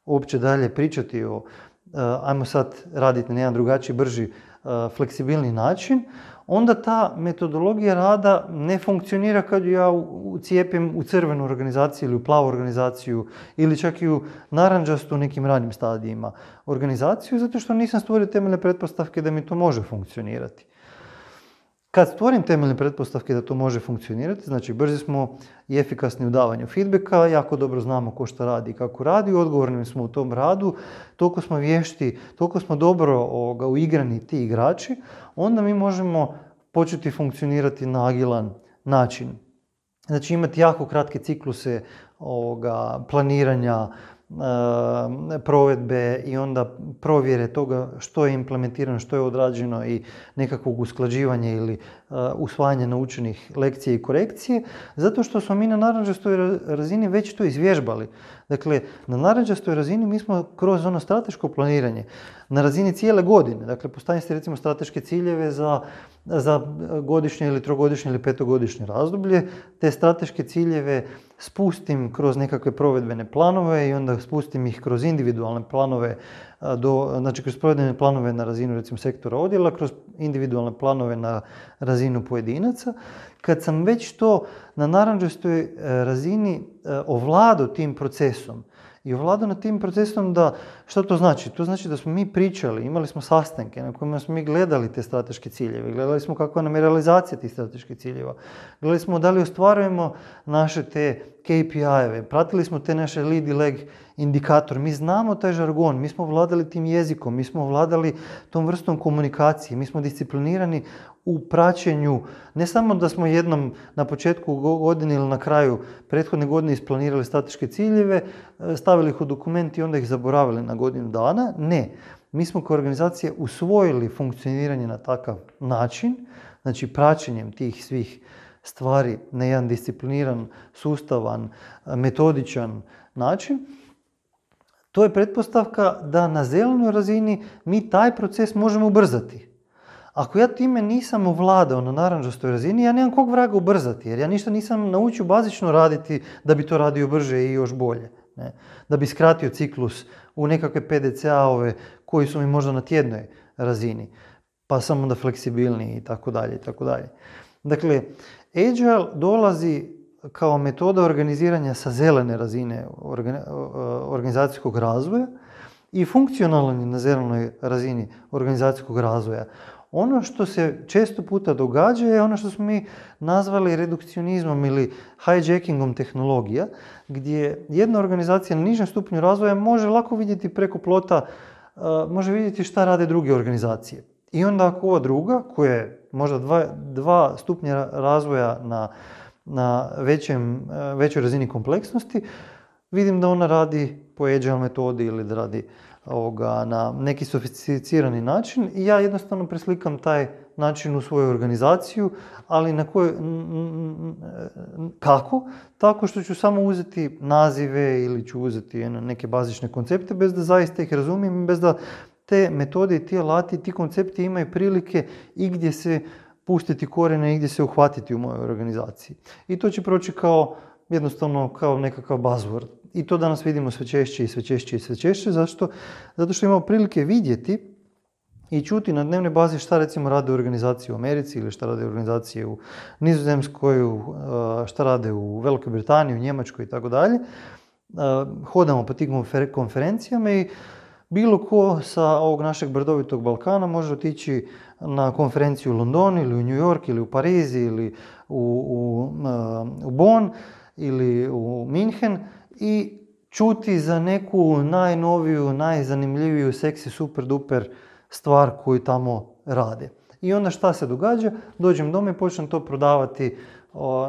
uopće dalje pričati o ajmo sad raditi na jedan drugačiji, brži, fleksibilni način, onda ta metodologija rada ne funkcionira kad ja ucijepim u crvenu organizaciju ili u plavu organizaciju ili čak i u narančastu u nekim ranim stadijima organizaciju, zato što nisam stvorio temeljne pretpostavke da mi to može funkcionirati. Kad stvorim temeljne pretpostavke da to može funkcionirati, znači brzi smo i efikasni u davanju feedbacka, jako dobro znamo ko šta radi i kako radi, odgovorni smo u tom radu, toliko smo vješti, toliko smo dobro uigrani ti igrači, onda mi možemo početi funkcionirati na agilan način. Znači imati jako kratke cikluse planiranja, provedbe i onda provjere toga što je implementirano, što je odrađeno i nekakvog usklađivanja ili usvajanja naučenih lekcija i korekcije, zato što smo mi na narančastoj razini već to izvježbali. Dakle, na narančastoj razini mi smo kroz ono strateško planiranje na razini cijele godine, dakle postavljate si recimo strateške ciljeve za godišnje ili trogodišnje ili petogodišnje razdoblje, te strateške ciljeve spustim kroz nekakve provedbene planove i onda spustim ih kroz individualne planove, znači kroz provedbene planove na razinu recimo sektora odjela, kroz individualne planove na razinu pojedinaca. Kad sam već to na narančastoj razini ovladao tim procesom i ovladao nad tim procesom da, što to znači? To znači da smo mi pričali, imali smo sastanke na kojima smo mi gledali te strateške ciljeve, gledali smo kakva nam je realizacija tih strateških ciljeva, gledali smo da li ostvarujemo naše te KPI-eve, pratili smo te naše lead i lag indikator, mi znamo taj žargon, mi smo vladali tim jezikom, mi smo vladali tom vrstom komunikacije, mi smo disciplinirani u praćenju, ne samo da smo jednom na početku godine ili na kraju prethodne godine isplanirali strateške ciljeve, stavili ih u dokument i onda ih zaboravili na godinu dana, ne. Mi smo kao organizacija usvojili funkcioniranje na takav način, znači praćenjem tih svih stvari na jedan discipliniran, sustavan, metodičan način. To je pretpostavka da na zelenoj razini mi taj proces možemo ubrzati. Ako ja time nisam ovladao na narančastoj razini, ja nemam kog vraga ubrzati, jer ja ništa nisam naučio bazično raditi da bi to radio brže i još bolje. Ne? Da bi skratio ciklus u nekakve PDCA-ove koji su mi možda na tjednoj razini, pa sam onda fleksibilniji i tako dalje i tako dalje. Dakle, Agile dolazi kao metoda organiziranja sa zelene razine organizacijskog razvoja i funkcionalan je na zelenoj razini organizacijskog razvoja. Ono što se često puta događa je ono što smo mi nazvali redukcionizmom ili hijackingom tehnologija, gdje jedna organizacija na nižem stupnju razvoja može lako vidjeti preko plota, može vidjeti šta rade druge organizacije. I onda ako ova druga, koja je možda dva stupnja razvoja na većoj razini kompleksnosti, vidim da ona radi po Agile metodi ili da radi na neki sofisticirani način i ja jednostavno preslikam taj način u svoju organizaciju, ali kako? Tako što ću samo uzeti nazive ili ću uzeti neke bazične koncepte bez da zaista ih razumijem, bez da te metode i ti alati, ti koncepti imaju prilike i gdje se pustiti korijene i gdje se uhvatiti u mojoj organizaciji. I to će proći jednostavno kao nekakav buzzword. I to danas vidimo sve češće i sve češće i sve češće. Zašto? Zato što imamo prilike vidjeti i čuti na dnevnoj bazi šta recimo rade organizacije u Americi ili šta rade organizacije u Nizozemskoj, šta rade u Velikoj Britaniji, u Njemačkoj i tako dalje. Hodamo po tim konferencijama i bilo ko sa ovog našeg brdovitog Balkana može otići na konferenciju u London ili u New York ili u Pariz ili u Bonn ili u Minhen i čuti za neku najnoviju, najzanimljiviju, seksi, super, duper stvar koju tamo rade. I onda šta se događa? Dođem doma i počnem to prodavati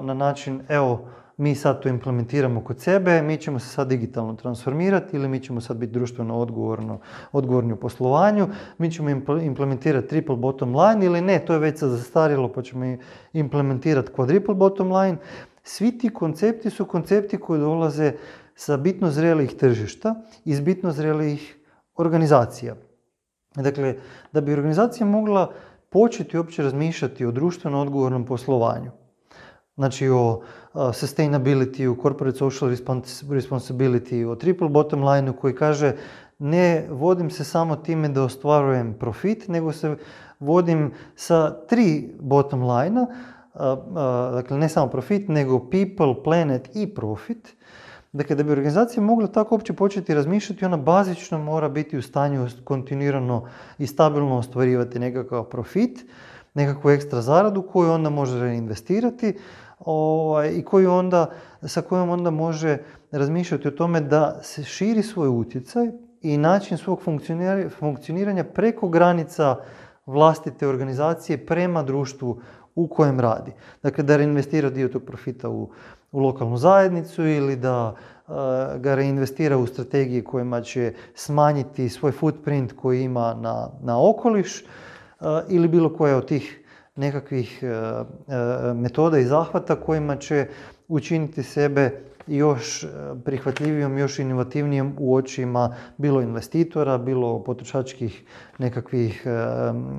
na način, evo, mi sad to implementiramo kod sebe, mi ćemo se sad digitalno transformirati ili mi ćemo sad biti društveno odgovorni u poslovanju, mi ćemo implementirati triple bottom line ili ne, to je već sad zastarjelo pa ćemo implementirati quadruple bottom line. Svi ti koncepti su koncepti koji dolaze sa bitno zrelijih tržišta i s bitno zrelijih organizacija. Dakle, da bi organizacija mogla početi uopće razmišljati o društveno odgovornom poslovanju, znači o sustainability, o corporate social responsibility, o triple bottom line koji kaže ne vodim se samo time da ostvarujem profit, nego se vodim sa 3 bottom line-a, dakle ne samo profit, nego people, planet i profit. Dakle, da bi organizacija mogla tako uopće početi razmišljati, ona bazično mora biti u stanju kontinuirano i stabilno ostvarivati nekakav profit, nekakvu ekstra zaradu koju onda može reinvestirati i sa kojom onda može razmišljati o tome da se širi svoj utjecaj i način svog funkcioniranja preko granica vlastite organizacije prema društvu u kojem radi. Dakle, da reinvestira dio tog profita u lokalnu zajednicu ili da ga reinvestira u strategije kojima će smanjiti svoj footprint koji ima na okoliš ili bilo koja od tih nekakvih metoda i zahvata kojima će učiniti sebe još prihvatljivijom, još inovativnijom u očima bilo investitora, bilo potrošačkih nekakvih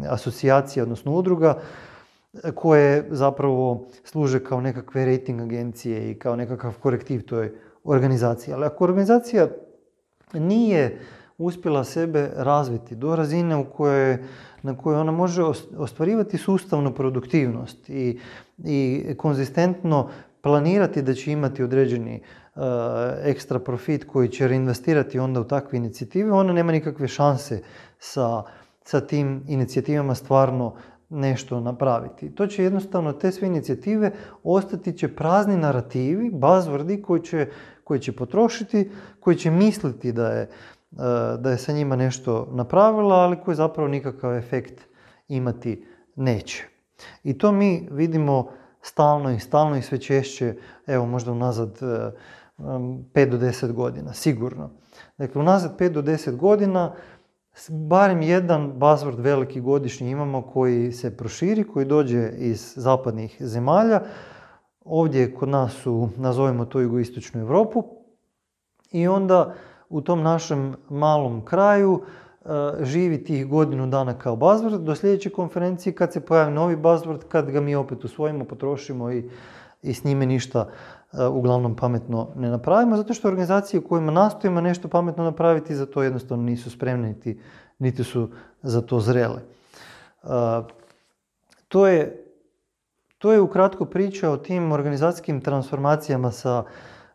asocijacija, odnosno udruga, koje zapravo služe kao nekakve rating agencije i kao nekakav korektiv toj organizaciji. Ali ako organizacija nije uspjela sebe razviti do razine na kojoj ona može ostvarivati sustavnu produktivnost i konzistentno planirati da će imati određeni ekstra profit koji će reinvestirati onda u takve inicijative, ona nema nikakve šanse sa tim inicijativama stvarno nešto napraviti. To će jednostavno, te sve inicijative ostati će prazni narativi, buzzwordi koji će potrošiti, koji će misliti da je sa njima nešto napravila, ali koji zapravo nikakav efekt imati neće. I to mi vidimo stalno i sve češće, evo možda unazad 5 do 10 godina, sigurno. Dakle, unazad 5 do 10 godina barem jedan buzzword veliki godišnji imamo koji se proširi, koji dođe iz zapadnih zemalja. Ovdje kod nas nazovimo to jugoistočnu Europu i onda u tom našem malom kraju živi tih godinu dana kao buzzword do sljedeće konferencije kad se pojavi novi buzzword, kad ga mi opet usvojimo, potrošimo i s njime ništa uglavnom pametno ne napravimo, zato što organizacije u kojima nastojimo nešto pametno napraviti za to jednostavno nisu spremne niti su za to zrele. To je ukratko priča o tim organizacijskim transformacijama sa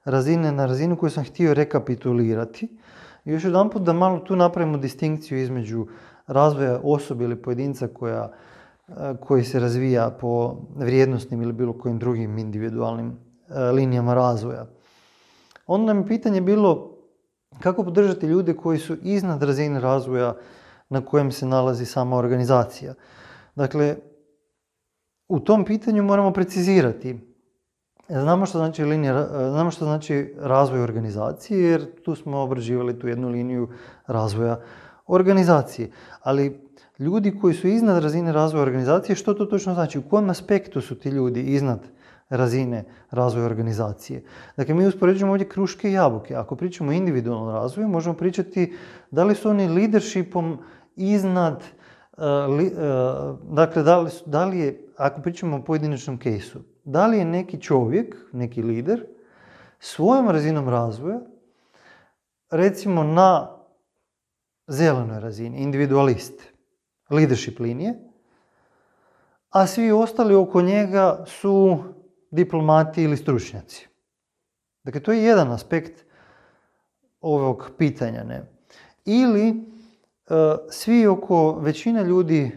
razine na razinu koju sam htio rekapitulirati. I još jedanput da malo tu napravimo distinkciju između razvoja osobe ili pojedinca koji se razvija po vrijednosnim ili bilo kojim drugim individualnim linijama razvoja. Onda nam je pitanje bilo kako podržati ljude koji su iznad razine razvoja na kojem se nalazi sama organizacija. Dakle, u tom pitanju moramo precizirati Znamo što znači razvoj organizacije, jer tu smo obrađivali tu jednu liniju razvoja organizacije. Ali ljudi koji su iznad razine razvoja organizacije, što to točno znači? U kojem aspektu su ti ljudi iznad razine razvoja organizacije? Dakle, mi uspoređujemo ovdje kruške i jabuke. Ako pričamo o individualnom razvoju, možemo pričati da li su oni leadershipom iznad, dakle, da li je, ako pričamo o pojedinačnom kejsu, da li je neki čovjek, neki lider, svojom razinom razvoja, recimo na zelenoj razini, individualist, leadership linije, a svi ostali oko njega su diplomati ili stručnjaci. Dakle, to je jedan aspekt ovog pitanja. Ne? Ili svi oko većina ljudi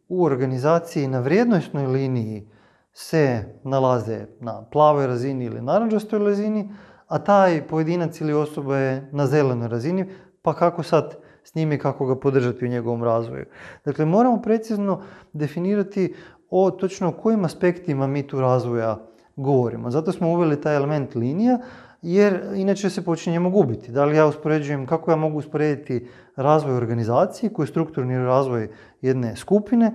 u organizaciji na vrijednosnoj liniji se nalaze na plavoj razini ili narančastoj razini, a taj pojedinac ili osoba je na zelenoj razini, pa kako sad s njime i kako ga podržati u njegovom razvoju. Dakle, moramo precizno definirati o točno kojim aspektima mi tu razvoja govorimo. Zato smo uveli taj element linija, jer inače se počinjemo gubiti. Da li ja uspoređujem, kako ja mogu usporediti razvoj organizacije, koji je strukturni razvoj jedne skupine,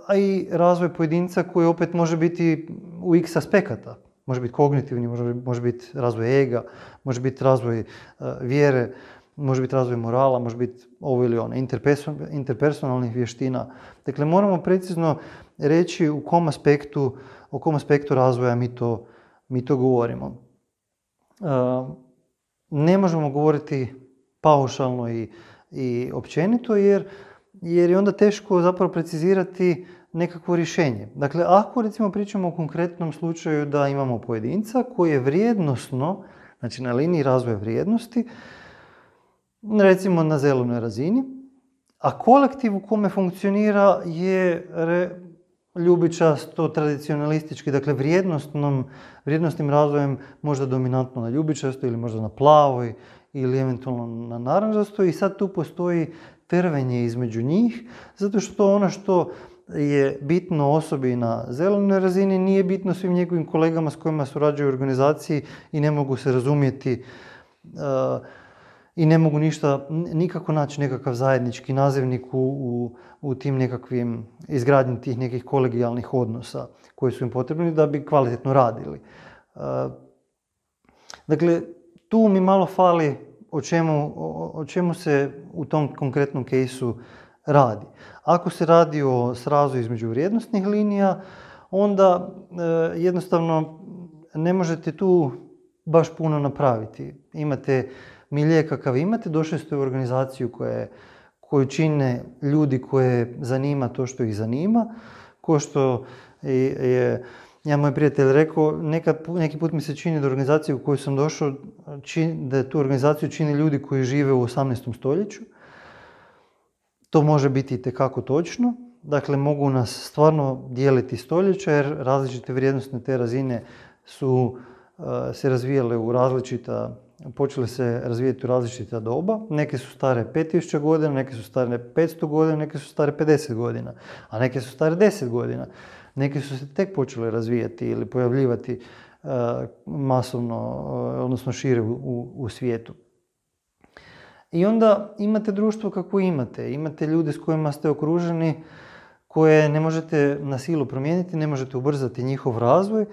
a i razvoj pojedinca koji opet može biti u x aspekata. Može biti kognitivni, može biti razvoj ega, može biti razvoj vjere, može biti razvoj morala, može biti ovo ili ono, interpersonalnih vještina. Dakle, moramo precizno reći o kom aspektu razvoja mi to govorimo. Ne možemo govoriti paušalno i općenito, jer je onda teško zapravo precizirati nekakvo rješenje. Dakle, ako recimo pričamo o konkretnom slučaju da imamo pojedinca koji je vrijednosno, znači na liniji razvoja vrijednosti, recimo na zelenoj razini, a kolektiv u kome funkcionira je ljubičasto, tradicionalistički, dakle vrijednostnim razvojem možda dominantno na ljubičasto ili možda na plavoj ili eventualno na narančastoj, i sad tu postoji trvenje između njih, zato što ono što je bitno osobi na zelenoj razini nije bitno svim njegovim kolegama s kojima surađuju u organizaciji i ne mogu se razumjeti i ne mogu nikako naći nekakav zajednički nazivnik u tim nekakvim izgradnji tih nekih kolegijalnih odnosa koji su im potrebni da bi kvalitetno radili. Dakle, tu mi malo fali o čemu se u tom konkretnom kejsu radi. Ako se radi o srazu između vrijednosnih linija, onda jednostavno ne možete tu baš puno napraviti. Imate milje kakav imate, došli ste u organizaciju koju čine ljudi koje zanima to što ih zanima, ko što je moj prijatelj rekao, neki put mi se čini da organizaciju u koju sam došao, da tu organizaciju čine ljudi koji žive u 18. stoljeću. To može biti itekako točno. Dakle, mogu nas stvarno dijeliti stoljeća, jer različite vrijednostne te razine su se razvijale počele se razvijati u različita doba. Neke su stare 5000 godina, neke su stare 500 godina, neke su stare 50 godina, a neke su stare 10 godina. Neke su se tek počele razvijati ili pojavljivati masovno, odnosno šire u svijetu. I onda imate društvo kako imate. Imate ljude s kojima ste okruženi, koje ne možete na silu promijeniti, ne možete ubrzati njihov razvoj.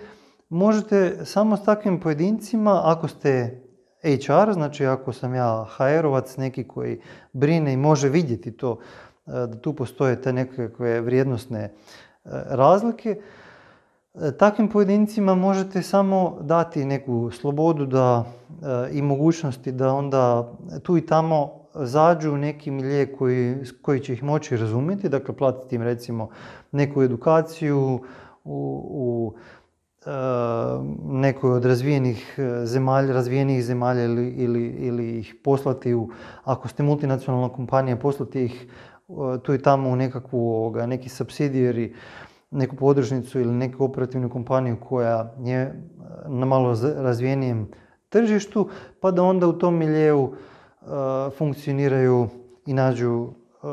Možete samo s takvim pojedincima, ako ste HR, znači ako sam ja HR-ovac, neki koji brine i može vidjeti to, da tu postoje te nekakve vrijednosne razlike, takvim pojedincima možete samo dati neku slobodu i mogućnosti da onda tu i tamo zađu u neki milje koji će ih moći razumjeti, dakle platiti im recimo neku edukaciju u nekoj od razvijenih zemalja ili ih poslati ako ste multinacionalna kompanija, poslati ih tu i tamo u neki subsidiary, neku podružnicu ili neku operativnu kompaniju koja je na malo razvijenijem tržištu, pa da onda u tom miljeu funkcioniraju i nađu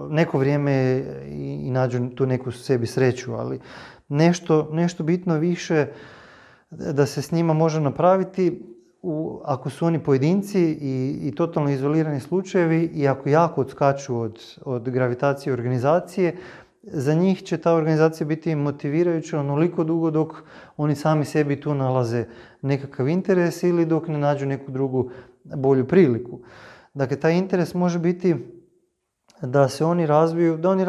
neko vrijeme i nađu tu neku sebi sreću, ali nešto bitno više da se s njima može napraviti ako su oni pojedinci i totalno izolirani slučajevi i ako jako odskaču od gravitacije organizacije, za njih će ta organizacija biti motivirajuća onoliko dugo dok oni sami sebi tu nalaze nekakav interes ili dok ne nađu neku drugu bolju priliku. Dakle, taj interes može biti da se oni razviju, da oni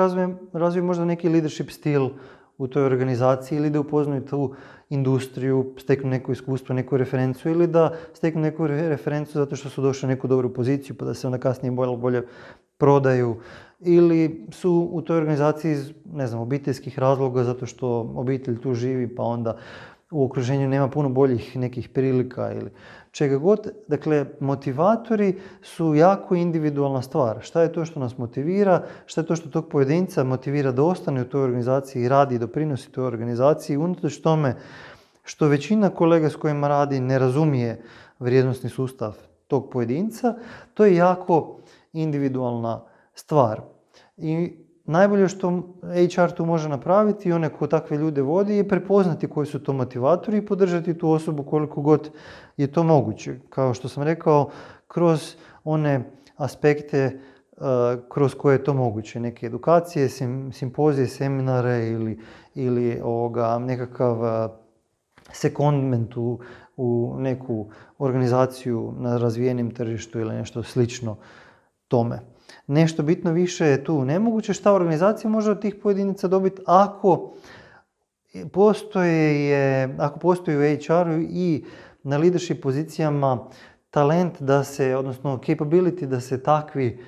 razviju možda neki leadership stil u toj organizaciji ili da upoznaju tu industriju, steknu neko iskustvo, neku referencu ili da steknu neku referencu zato što su došli u neku dobru poziciju pa da se onda kasnije bolje prodaju ili su u toj organizaciji iz, ne znam, obiteljskih razloga zato što obitelj tu živi pa onda u okruženju nema puno boljih nekih prilika ili čega god. Dakle, motivatori su jako individualna stvar. Šta je to što nas motivira, šta je to što tog pojedinca motivira da ostane u toj organizaciji i radi i doprinosi toj organizaciji, unatoč tome što većina kolega s kojima radi ne razumije vrijednosni sustav tog pojedinca, to je jako individualna stvar. I najbolje što HR tu može napraviti i onaj ko takve ljude vodi je prepoznati koji su to motivatori i podržati tu osobu koliko god je to moguće. Kao što sam rekao, kroz one aspekte kroz koje je to moguće. Neke edukacije, simpozije, seminare ili nekakav sekondment u neku organizaciju na razvijenim tržištu ili nešto slično tome. Nešto bitno više je tu nemoguće. Šta organizacija može od tih pojedinaca dobiti ako postoji u HR-u i na leadership pozicijama talent da se, odnosno capability da se takvi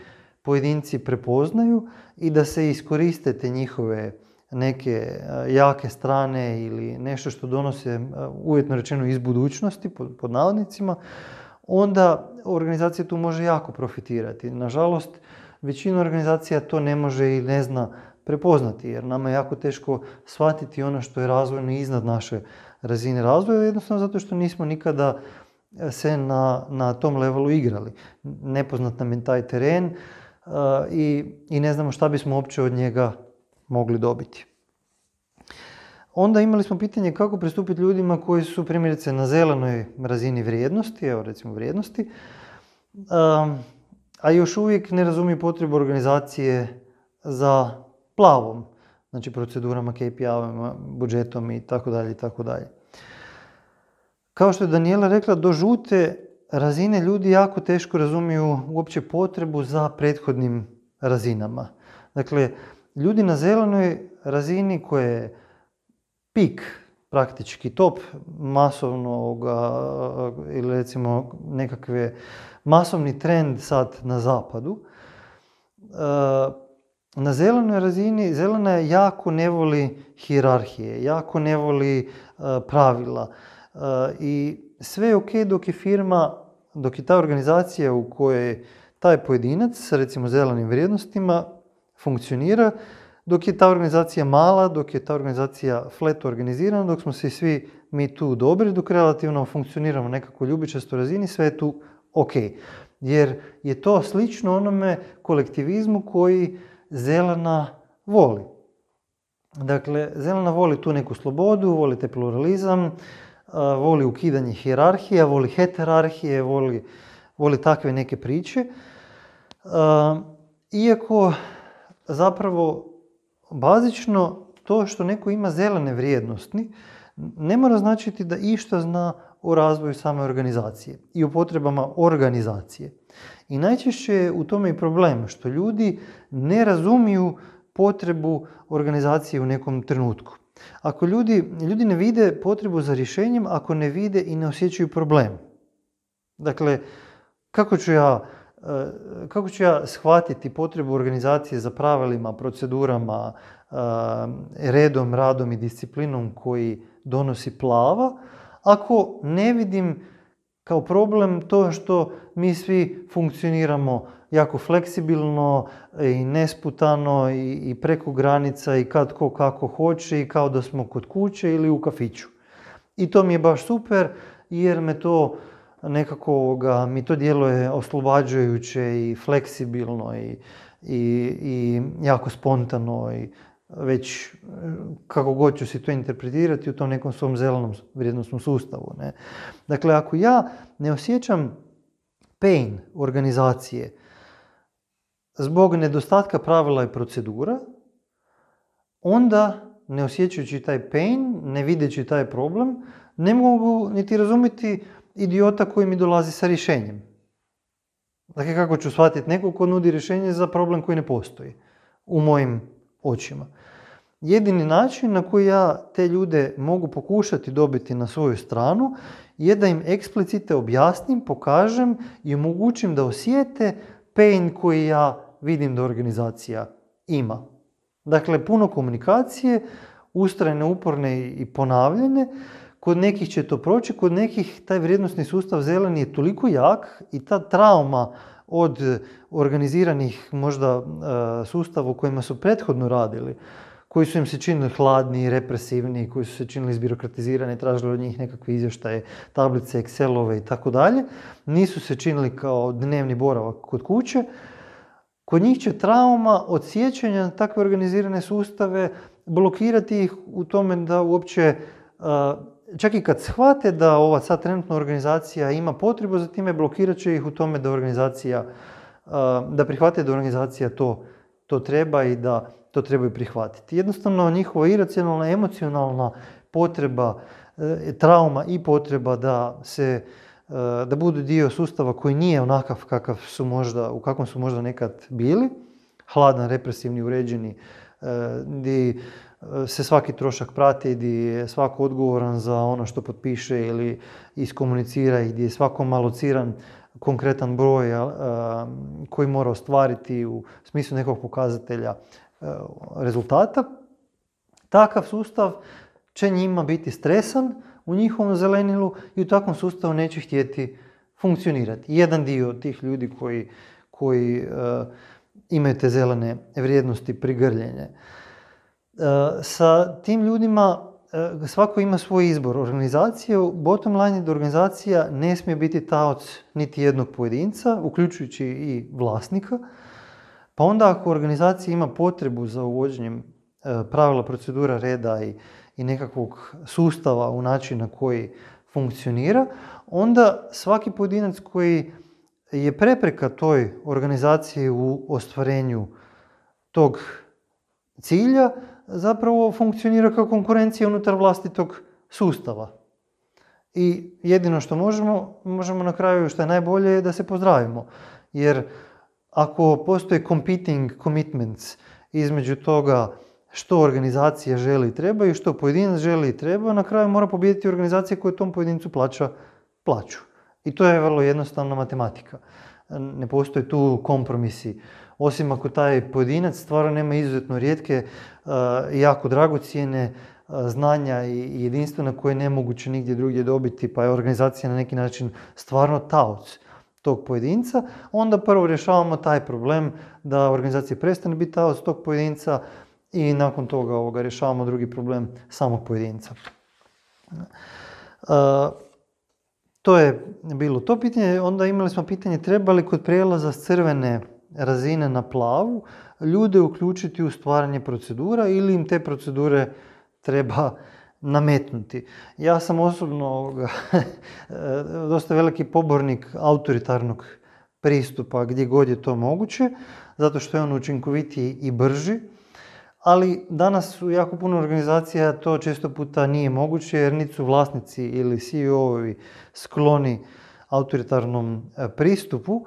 pojedinci prepoznaju i da se iskoriste te njihove neke jake strane ili nešto što donose, uvjetno rečeno, iz budućnosti, pod navodnicima, onda organizacija tu može jako profitirati. Nažalost, većina organizacija to ne može i ne zna prepoznati, jer nama je jako teško shvatiti ono što je razvojno iznad naše razine razvoja, jednostavno zato što nismo nikada se na tom levelu igrali. Nepoznat nam je taj teren i ne znamo šta bismo uopće od njega mogli dobiti. Onda imali smo pitanje kako pristupiti ljudima koji su primjerice na zelenoj razini vrijednosti, evo recimo vrijednosti, a još uvijek ne razumiju potrebu organizacije za plavom, znači procedurama, KPI-ovima, budžetom i tako dalje i tako dalje. Kao što je Daniela rekla, do žute razine ljudi jako teško razumiju uopće potrebu za prethodnim razinama. Dakle, ljudi na zelenoj razini koje je pik, praktički top masovnoga ili recimo nekakve masovni trend sad na zapadu, na zelenoj razini, zelena jako ne voli hijerarhije, jako ne voli pravila i sve je ok dok je firma, dok je ta organizacija u kojoj taj pojedinac sa recimo zelenim vrijednostima funkcionira, dok je ta organizacija mala, dok je ta organizacija flat organizirana, dok smo se svi mi tu dobri, dok relativno funkcioniramo nekako ljubičastoj razini, sve je tu ok. Jer je to slično onome kolektivizmu koji zelena voli. Dakle, zelena voli tu neku slobodu, voli te pluralizam, voli ukidanje hijerarhija, voli heterarhije, voli takve neke priče. Iako zapravo bazično to što neko ima zelene vrijednosti ne mora značiti da išta zna o razvoju same organizacije i o potrebama organizacije. I najčešće je u tome i problem što ljudi ne razumiju potrebu organizacije u nekom trenutku. Ako ljudi ne vide potrebu za rješenjem, ako ne vide i ne osjećaju problem. Dakle, kako ću ja shvatiti potrebu organizacije za pravilima, procedurama, redom, radom i disciplinom koji donosi plava, ako ne vidim kao problem to što mi svi funkcioniramo jako fleksibilno i nesputano i preko granica i kad ko kako hoće i kao da smo kod kuće ili u kafiću. I to mi je baš super jer me to nekako mi to djeluje oslobađajuće i fleksibilno i jako spontano i već kako god ću si to interpretirati u tom nekom svom zelenom vrijednosnom sustavu. Ne? Dakle, ako ja ne osjećam pain organizacije zbog nedostatka pravila i procedura, onda ne osjećajući taj pain, ne videći taj problem, ne mogu niti razumjeti idiota koji mi dolazi sa rješenjem. Dakle, kako ću shvatiti nekog ko nudi rješenje za problem koji ne postoji u mojim očima. Jedini način na koji ja te ljude mogu pokušati dobiti na svoju stranu je da im eksplicite objasnim, pokažem i omogućim da osjete pain koji ja vidim da organizacija ima. Dakle, puno komunikacije, ustrajne, uporne i ponavljane. Kod nekih će to proći, kod nekih taj vrijednosni sustav zeleni je toliko jak i ta trauma od organiziranih možda sustava u kojima su prethodno radili, koji su im se činili hladni, represivni, koji su se činili izbirokratizirani, tražili od njih nekakve izvještaje, tablice, Excelove i tako dalje, nisu se činili kao dnevni boravak kod kuće. Kod njih će trauma od sjećanja na takve organizirane sustave blokirati ih u tome da uopće, čak i kad shvate da ova sad trenutna organizacija ima potrebu za time, blokirat će ih u tome da organizacija, da prihvate da organizacija to treba i da to trebaju prihvatiti. Jednostavno njihova iracionalna, emocionalna potreba, trauma i potreba da budu dio sustava koji nije onakav u kakvom su možda nekad bili, hladan, represivni, uređeni, gdje se svaki trošak prati, gdje je svako odgovoran za ono što potpiše ili iskomunicira i gdje je svako malociran konkretan broj koji mora ostvariti u smislu nekog pokazatelja rezultata. Takav sustav će njima biti stresan u njihovom zelenilu i u takvom sustavu neće htjeti funkcionirati. Jedan dio tih ljudi koji imaju te zelene vrijednosti prigrljenje. Sa tim ljudima svako ima svoj izbor. Organizacija, bottom line je da organizacija ne smije biti taoc niti jednog pojedinca, uključujući i vlasnika. Pa onda ako organizacija ima potrebu za uvođenjem pravila, procedura, reda i nekakvog sustava u način na koji funkcionira, onda svaki pojedinac koji je prepreka toj organizaciji u ostvarenju tog cilja zapravo funkcionira kao konkurencija unutar vlastitog sustava. I jedino što možemo na kraju, što je najbolje, je da se pozdravimo. Jer ako postoje competing commitments između toga što organizacija želi i treba i što pojedinac želi i treba, na kraju mora pobijediti organizacija koja tom pojedincu plaća plaću. I to je vrlo jednostavna matematika. Ne postoje tu kompromisi. Osim ako taj pojedinac stvarno nema izuzetno rijetke i jako dragocjene znanja i jedinstvena koje je nemoguće nigdje drugdje dobiti, pa je organizacija na neki način stvarno taoc tog pojedinca, onda prvo rješavamo taj problem da organizacija prestane biti taoc tog pojedinca i nakon toga rješavamo drugi problem samog pojedinca. To je bilo to pitanje. Onda imali smo pitanje treba li kod prijelaza s crvene razine na plavu ljude uključiti u stvaranje procedura ili im te procedure treba nametnuti. Ja sam osobno dosta veliki pobornik autoritarnog pristupa gdje god je to moguće, zato što je on učinkovitiji i brži, ali danas u jako puno organizacija to često puta nije moguće jer niti su vlasnici ili CEO-ovi skloni autoritarnom pristupu,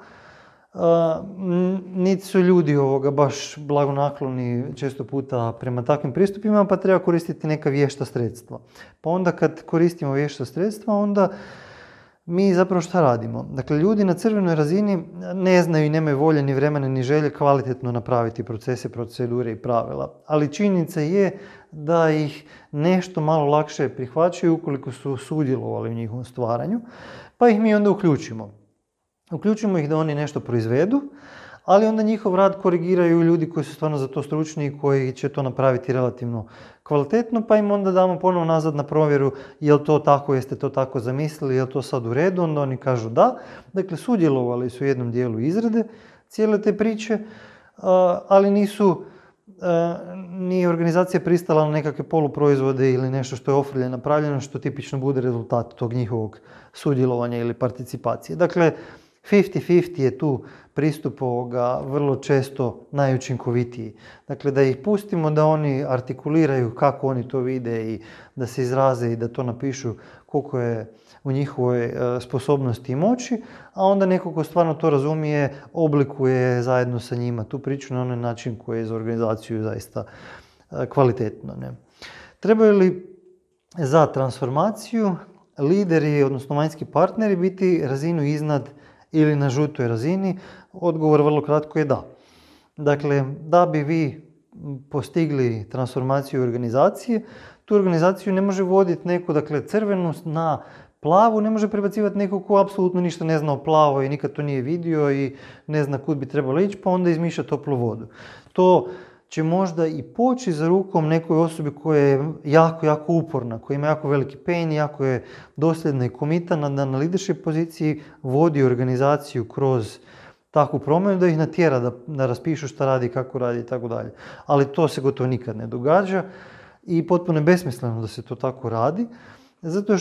niti su ljudi baš blagonakloni često puta prema takvim pristupima, pa treba koristiti neka vješta sredstva. Pa onda kad koristimo vješta sredstva, onda mi zapravo šta radimo? Dakle, ljudi na crvenoj razini ne znaju i nemaju volje ni vremena ni želje kvalitetno napraviti procese, procedure i pravila. Ali činjenica je da ih nešto malo lakše prihvaćaju ukoliko su sudjelovali u njihovom stvaranju, pa ih mi onda uključimo. Uključimo ih da oni nešto proizvedu, ali onda njihov rad korigiraju ljudi koji su stvarno za to stručni i koji će to napraviti relativno kvalitetno, pa im onda damo ponovno nazad na provjeru je li to tako, jeste to tako zamislili, je li to sad u redu, onda oni kažu da. Dakle, sudjelovali su u jednom dijelu izrade cijele te priče, ali nisu nije organizacija pristala na nekakve poluproizvode ili nešto što je ofrlje napravljeno, što tipično bude rezultat tog njihovog sudjelovanja ili participacije. Dakle, 50-50 je tu pristup ovoga vrlo često najučinkovitiji. Dakle, da ih pustimo da oni artikuliraju kako oni to vide i da se izraze i da to napišu koliko je u njihovoj sposobnosti i moći, a onda neko ko stvarno to razumije oblikuje zajedno sa njima tu priču na onaj način koji je za organizaciju zaista kvalitetno. Ne? Trebaju li za transformaciju lideri, odnosno vanjski partneri, biti razinu iznad ili na žutoj razini? Odgovor vrlo kratko je da. Dakle, da bi vi postigli transformaciju organizacije, tu organizaciju ne može voditi neko, dakle, crvenu na plavu, ne može prebacivati neko ko apsolutno ništa ne zna o plavoj i nikad to nije vidio i ne zna kud bi trebalo ići, pa onda izmišlja toplu vodu. To će možda i poći za rukom nekoj osobi koja je jako, jako uporna, koja ima jako veliki pain, jako je dosljedna i komitana da na leadership poziciji vodi organizaciju kroz takvu promjenu, da ih natjera da raspišu šta radi, kako radi i tako dalje. Ali to se gotovo nikad ne događa i potpuno je besmisleno da se to tako radi, zato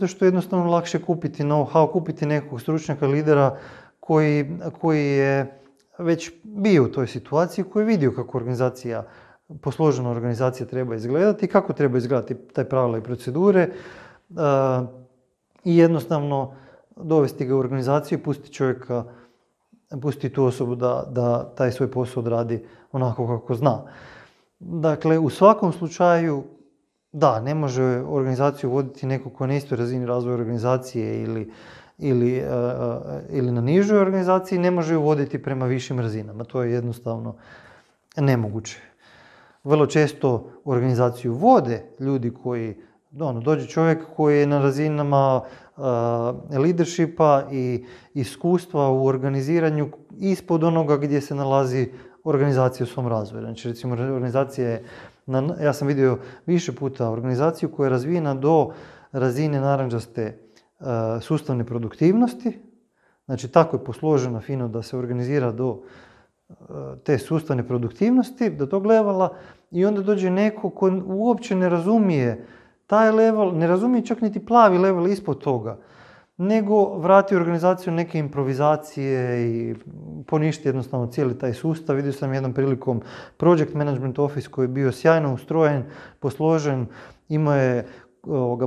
što je jednostavno lakše kupiti know-how, kupiti nekog stručnjaka, lidera koji je već bio u toj situaciji, koji je vidio kako posložena organizacija treba izgledati, kako treba izgledati taj pravila i procedure i jednostavno dovesti ga u organizaciju i pustiti tu osobu da taj svoj posao odradi onako kako zna. Dakle, u svakom slučaju, da, ne može organizaciju voditi neko ko je na istoj razini razvoja organizacije ili na nižoj organizaciji, ne može ju voditi prema višim razinama. To je jednostavno nemoguće. Vrlo često organizaciju vode ljudi koji, dođe čovjek koji je na razinama leadershipa i iskustva u organiziranju ispod onoga gdje se nalazi organizacija u svom razvoju. Znači, recimo, organizacija je, ja sam vidio više puta organizaciju koja je razvijena do razine narandžaste sustavne produktivnosti. Znači, tako je posložena fino da se organizira do te sustavne produktivnosti, do tog levela, i onda dođe neko ko uopće ne razumije taj level, ne razumije čak niti plavi level ispod toga, nego vrati organizaciju neke improvizacije i poništi jednostavno cijeli taj sustav. Vidio sam jednom prilikom Project Management Office koji je bio sjajno ustrojen, posložen, imao je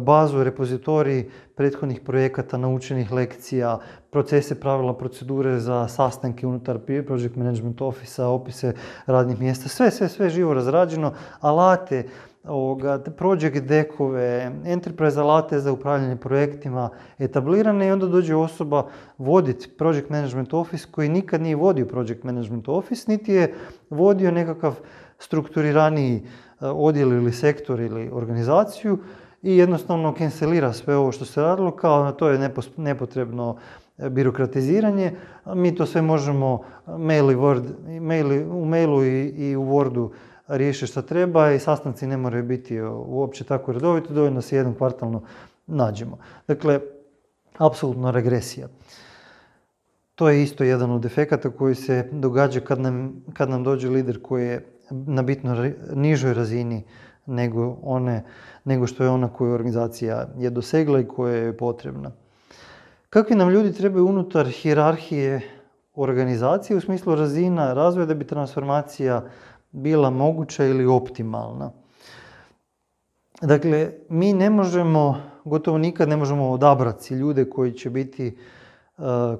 bazu, repozitorij prethodnih projekata, naučenih lekcija, procese, pravila, procedure za sastanke unutar Project Management Office-a, opise radnih mjesta, sve živo razrađeno, alate, project deckove, enterprise alate za upravljanje projektima etablirane, i onda dođe osoba voditi Project Management Office koji nikad nije vodio Project Management Office, niti je vodio nekakav strukturiraniji odjel ili sektor ili organizaciju, i jednostavno cancelira sve ovo što se radilo, kao to je nepotrebno birokratiziranje. Mi to sve možemo u mailu i u Wordu riješiti što treba i sastanci ne moraju biti uopće tako redovito, dovoljno se jednom kvartalno nađemo. Dakle, apsolutno regresija. To je isto jedan od efekata koji se događa kad nam dođe lider koji je na bitno nižoj razini nego što je ona koju organizacija je dosegla i koja je potrebna. Kakvi nam ljudi trebaju unutar hijerarhije organizacije u smislu razina razvoja da bi transformacija bila moguća ili optimalna? Dakle, mi gotovo nikad ne možemo odabrati ljude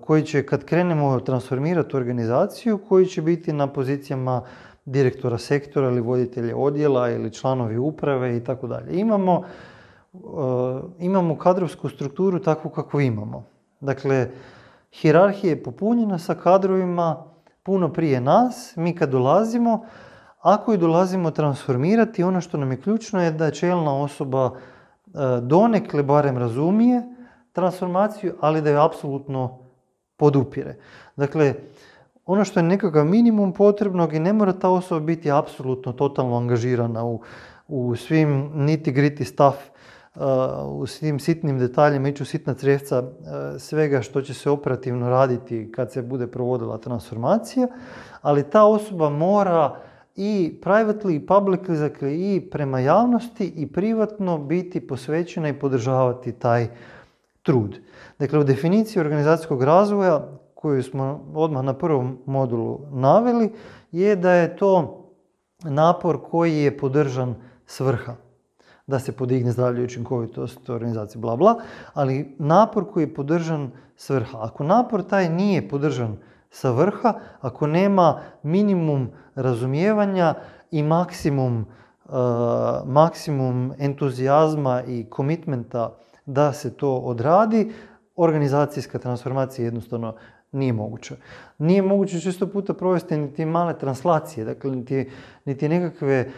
koji će kad krenemo transformirati organizaciju, koji će biti na pozicijama direktora sektora ili voditelja odjela ili članovi uprave i tako dalje. Imamo kadrovsku strukturu takvu kakvu imamo. Dakle, hijerarhija je popunjena sa kadrovima puno prije nas. Mi kad dolazimo, ako i dolazimo transformirati, ono što nam je ključno je da čelna osoba donekle barem razumije transformaciju, ali da je apsolutno podupire. Dakle, ono što je nekakav minimum potrebnog i ne mora ta osoba biti apsolutno totalno angažirana u svim nitty-gritty stuff, u svim sitnim detaljima, ići u sitna crevca svega što će se operativno raditi kad se bude provodila transformacija, ali ta osoba mora i privately i publicly, dakle i prema javnosti i privatno biti posvećena i podržavati taj trud. Dakle, u definiciji organizacijskog razvoja koju smo odmah na prvom modulu naveli je da je to napor koji je podržan svrha. Da se podigne zdravlje i učinkovitost organizacije, bla bla, ali napor koji je podržan svrha. Ako napor taj nije podržan sa vrha, ako nema minimum razumijevanja i maksimum entuzijazma i komitmenta da se to odradi, organizacijska transformacija jednostavno nije moguća. Nije moguće često puta provesti niti male translacije, dakle niti nekakve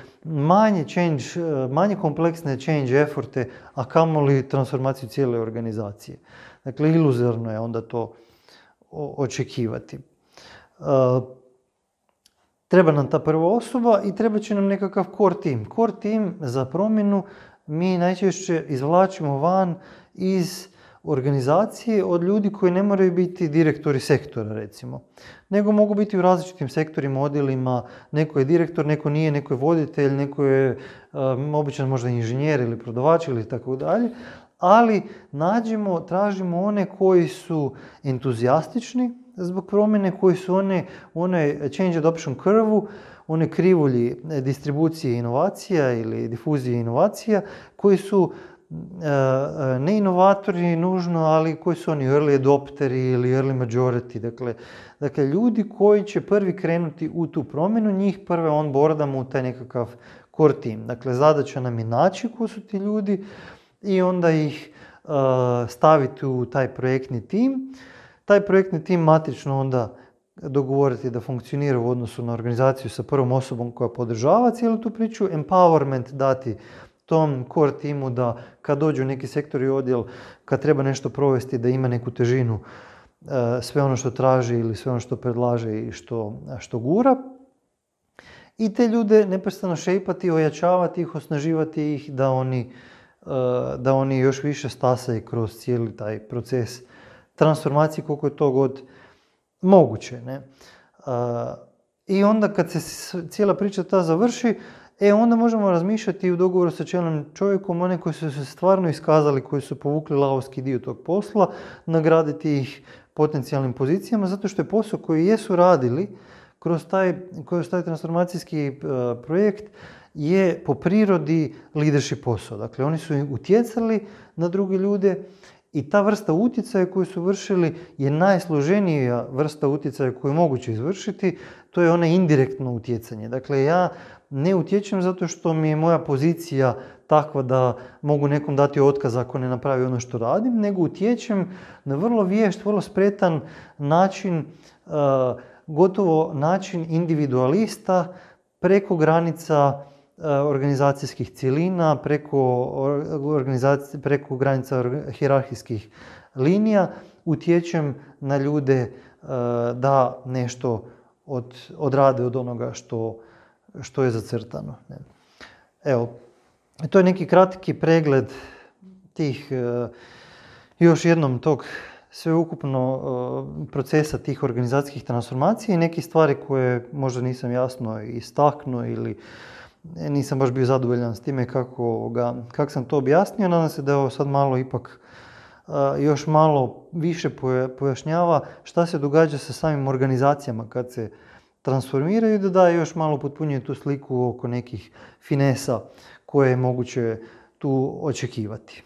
manje kompleksne change efforte, a kamoli transformaciju cijele organizacije. Dakle, iluzorno je onda to očekivati. Treba nam ta prva osoba i treba će nam nekakav core team. Core team za promjenu mi najčešće izvlačimo van iz organizacije od ljudi koji ne moraju biti direktori sektora, recimo. Nego mogu biti u različitim sektorima, odjelima. Neko je direktor, neko nije, neko je voditelj, neko je običan možda inženjer ili prodavač ili tako dalje. Ali tražimo one koji su entuzijastični zbog promjene, koji su one change adoption curve-u, one krivulji distribucije inovacija ili difuzije inovacija, koji su ne inovatori nužno, ali koji su oni early adopteri ili early majority. Dakle, ljudi koji će prvi krenuti u tu promjenu, njih prve onboardamo u taj nekakav core team. Dakle, zadaća nam je naći ko su ti ljudi i onda ih staviti u taj projektni tim. Taj projektni tim matrično onda dogovoriti da funkcionira u odnosu na organizaciju sa prvom osobom koja podržava cijelu tu priču, empowerment dati tom core timu da kad dođe u neki sektor i odjel, kad treba nešto provesti, da ima neku težinu, sve ono što traži ili sve ono što predlaže i što gura. I te ljude neprestano šejpati, ojačavati ih, osnaživati ih da oni još više stasaju kroz cijeli taj proces transformacije koliko je to god moguće. Ne? I onda kad se cijela priča ta završi, onda možemo razmišljati u dogovoru sa čelnim čovjekom, one koji su se stvarno iskazali, koji su povukli lavovski dio tog posla, nagraditi ih potencijalnim pozicijama, zato što je posao koji jesu radili kroz taj transformacijski projekt je po prirodi leadership posao. Dakle, oni su utjecali na druge ljude i ta vrsta utjecaja koju su vršili je najsloženija vrsta utjecaja koju je moguće izvršiti, to je ono indirektno utjecanje. Dakle, ja ne utječem zato što mi je moja pozicija takva da mogu nekom dati otkaz ako ne napravi ono što radim, nego utječem na vrlo vješt, vrlo spretan način, gotovo način individualista preko granica organizacijskih cjelina, preko granica hijerarhijskih linija, utječem na ljude da nešto odrade od onoga što je zacrtano. Evo, to je neki kratki pregled tih, još jednom tog sveukupno procesa tih organizacijskih transformacija i neke stvari koje možda nisam jasno istaknuo ili nisam baš bio zadovoljan s time kako sam to objasnio. Nadam se da je ovo sad malo ipak još malo više pojašnjava šta se događa sa samim organizacijama kad se transformiraju i da daje još malo potpunjuje tu sliku oko nekih finesa koje je moguće tu očekivati.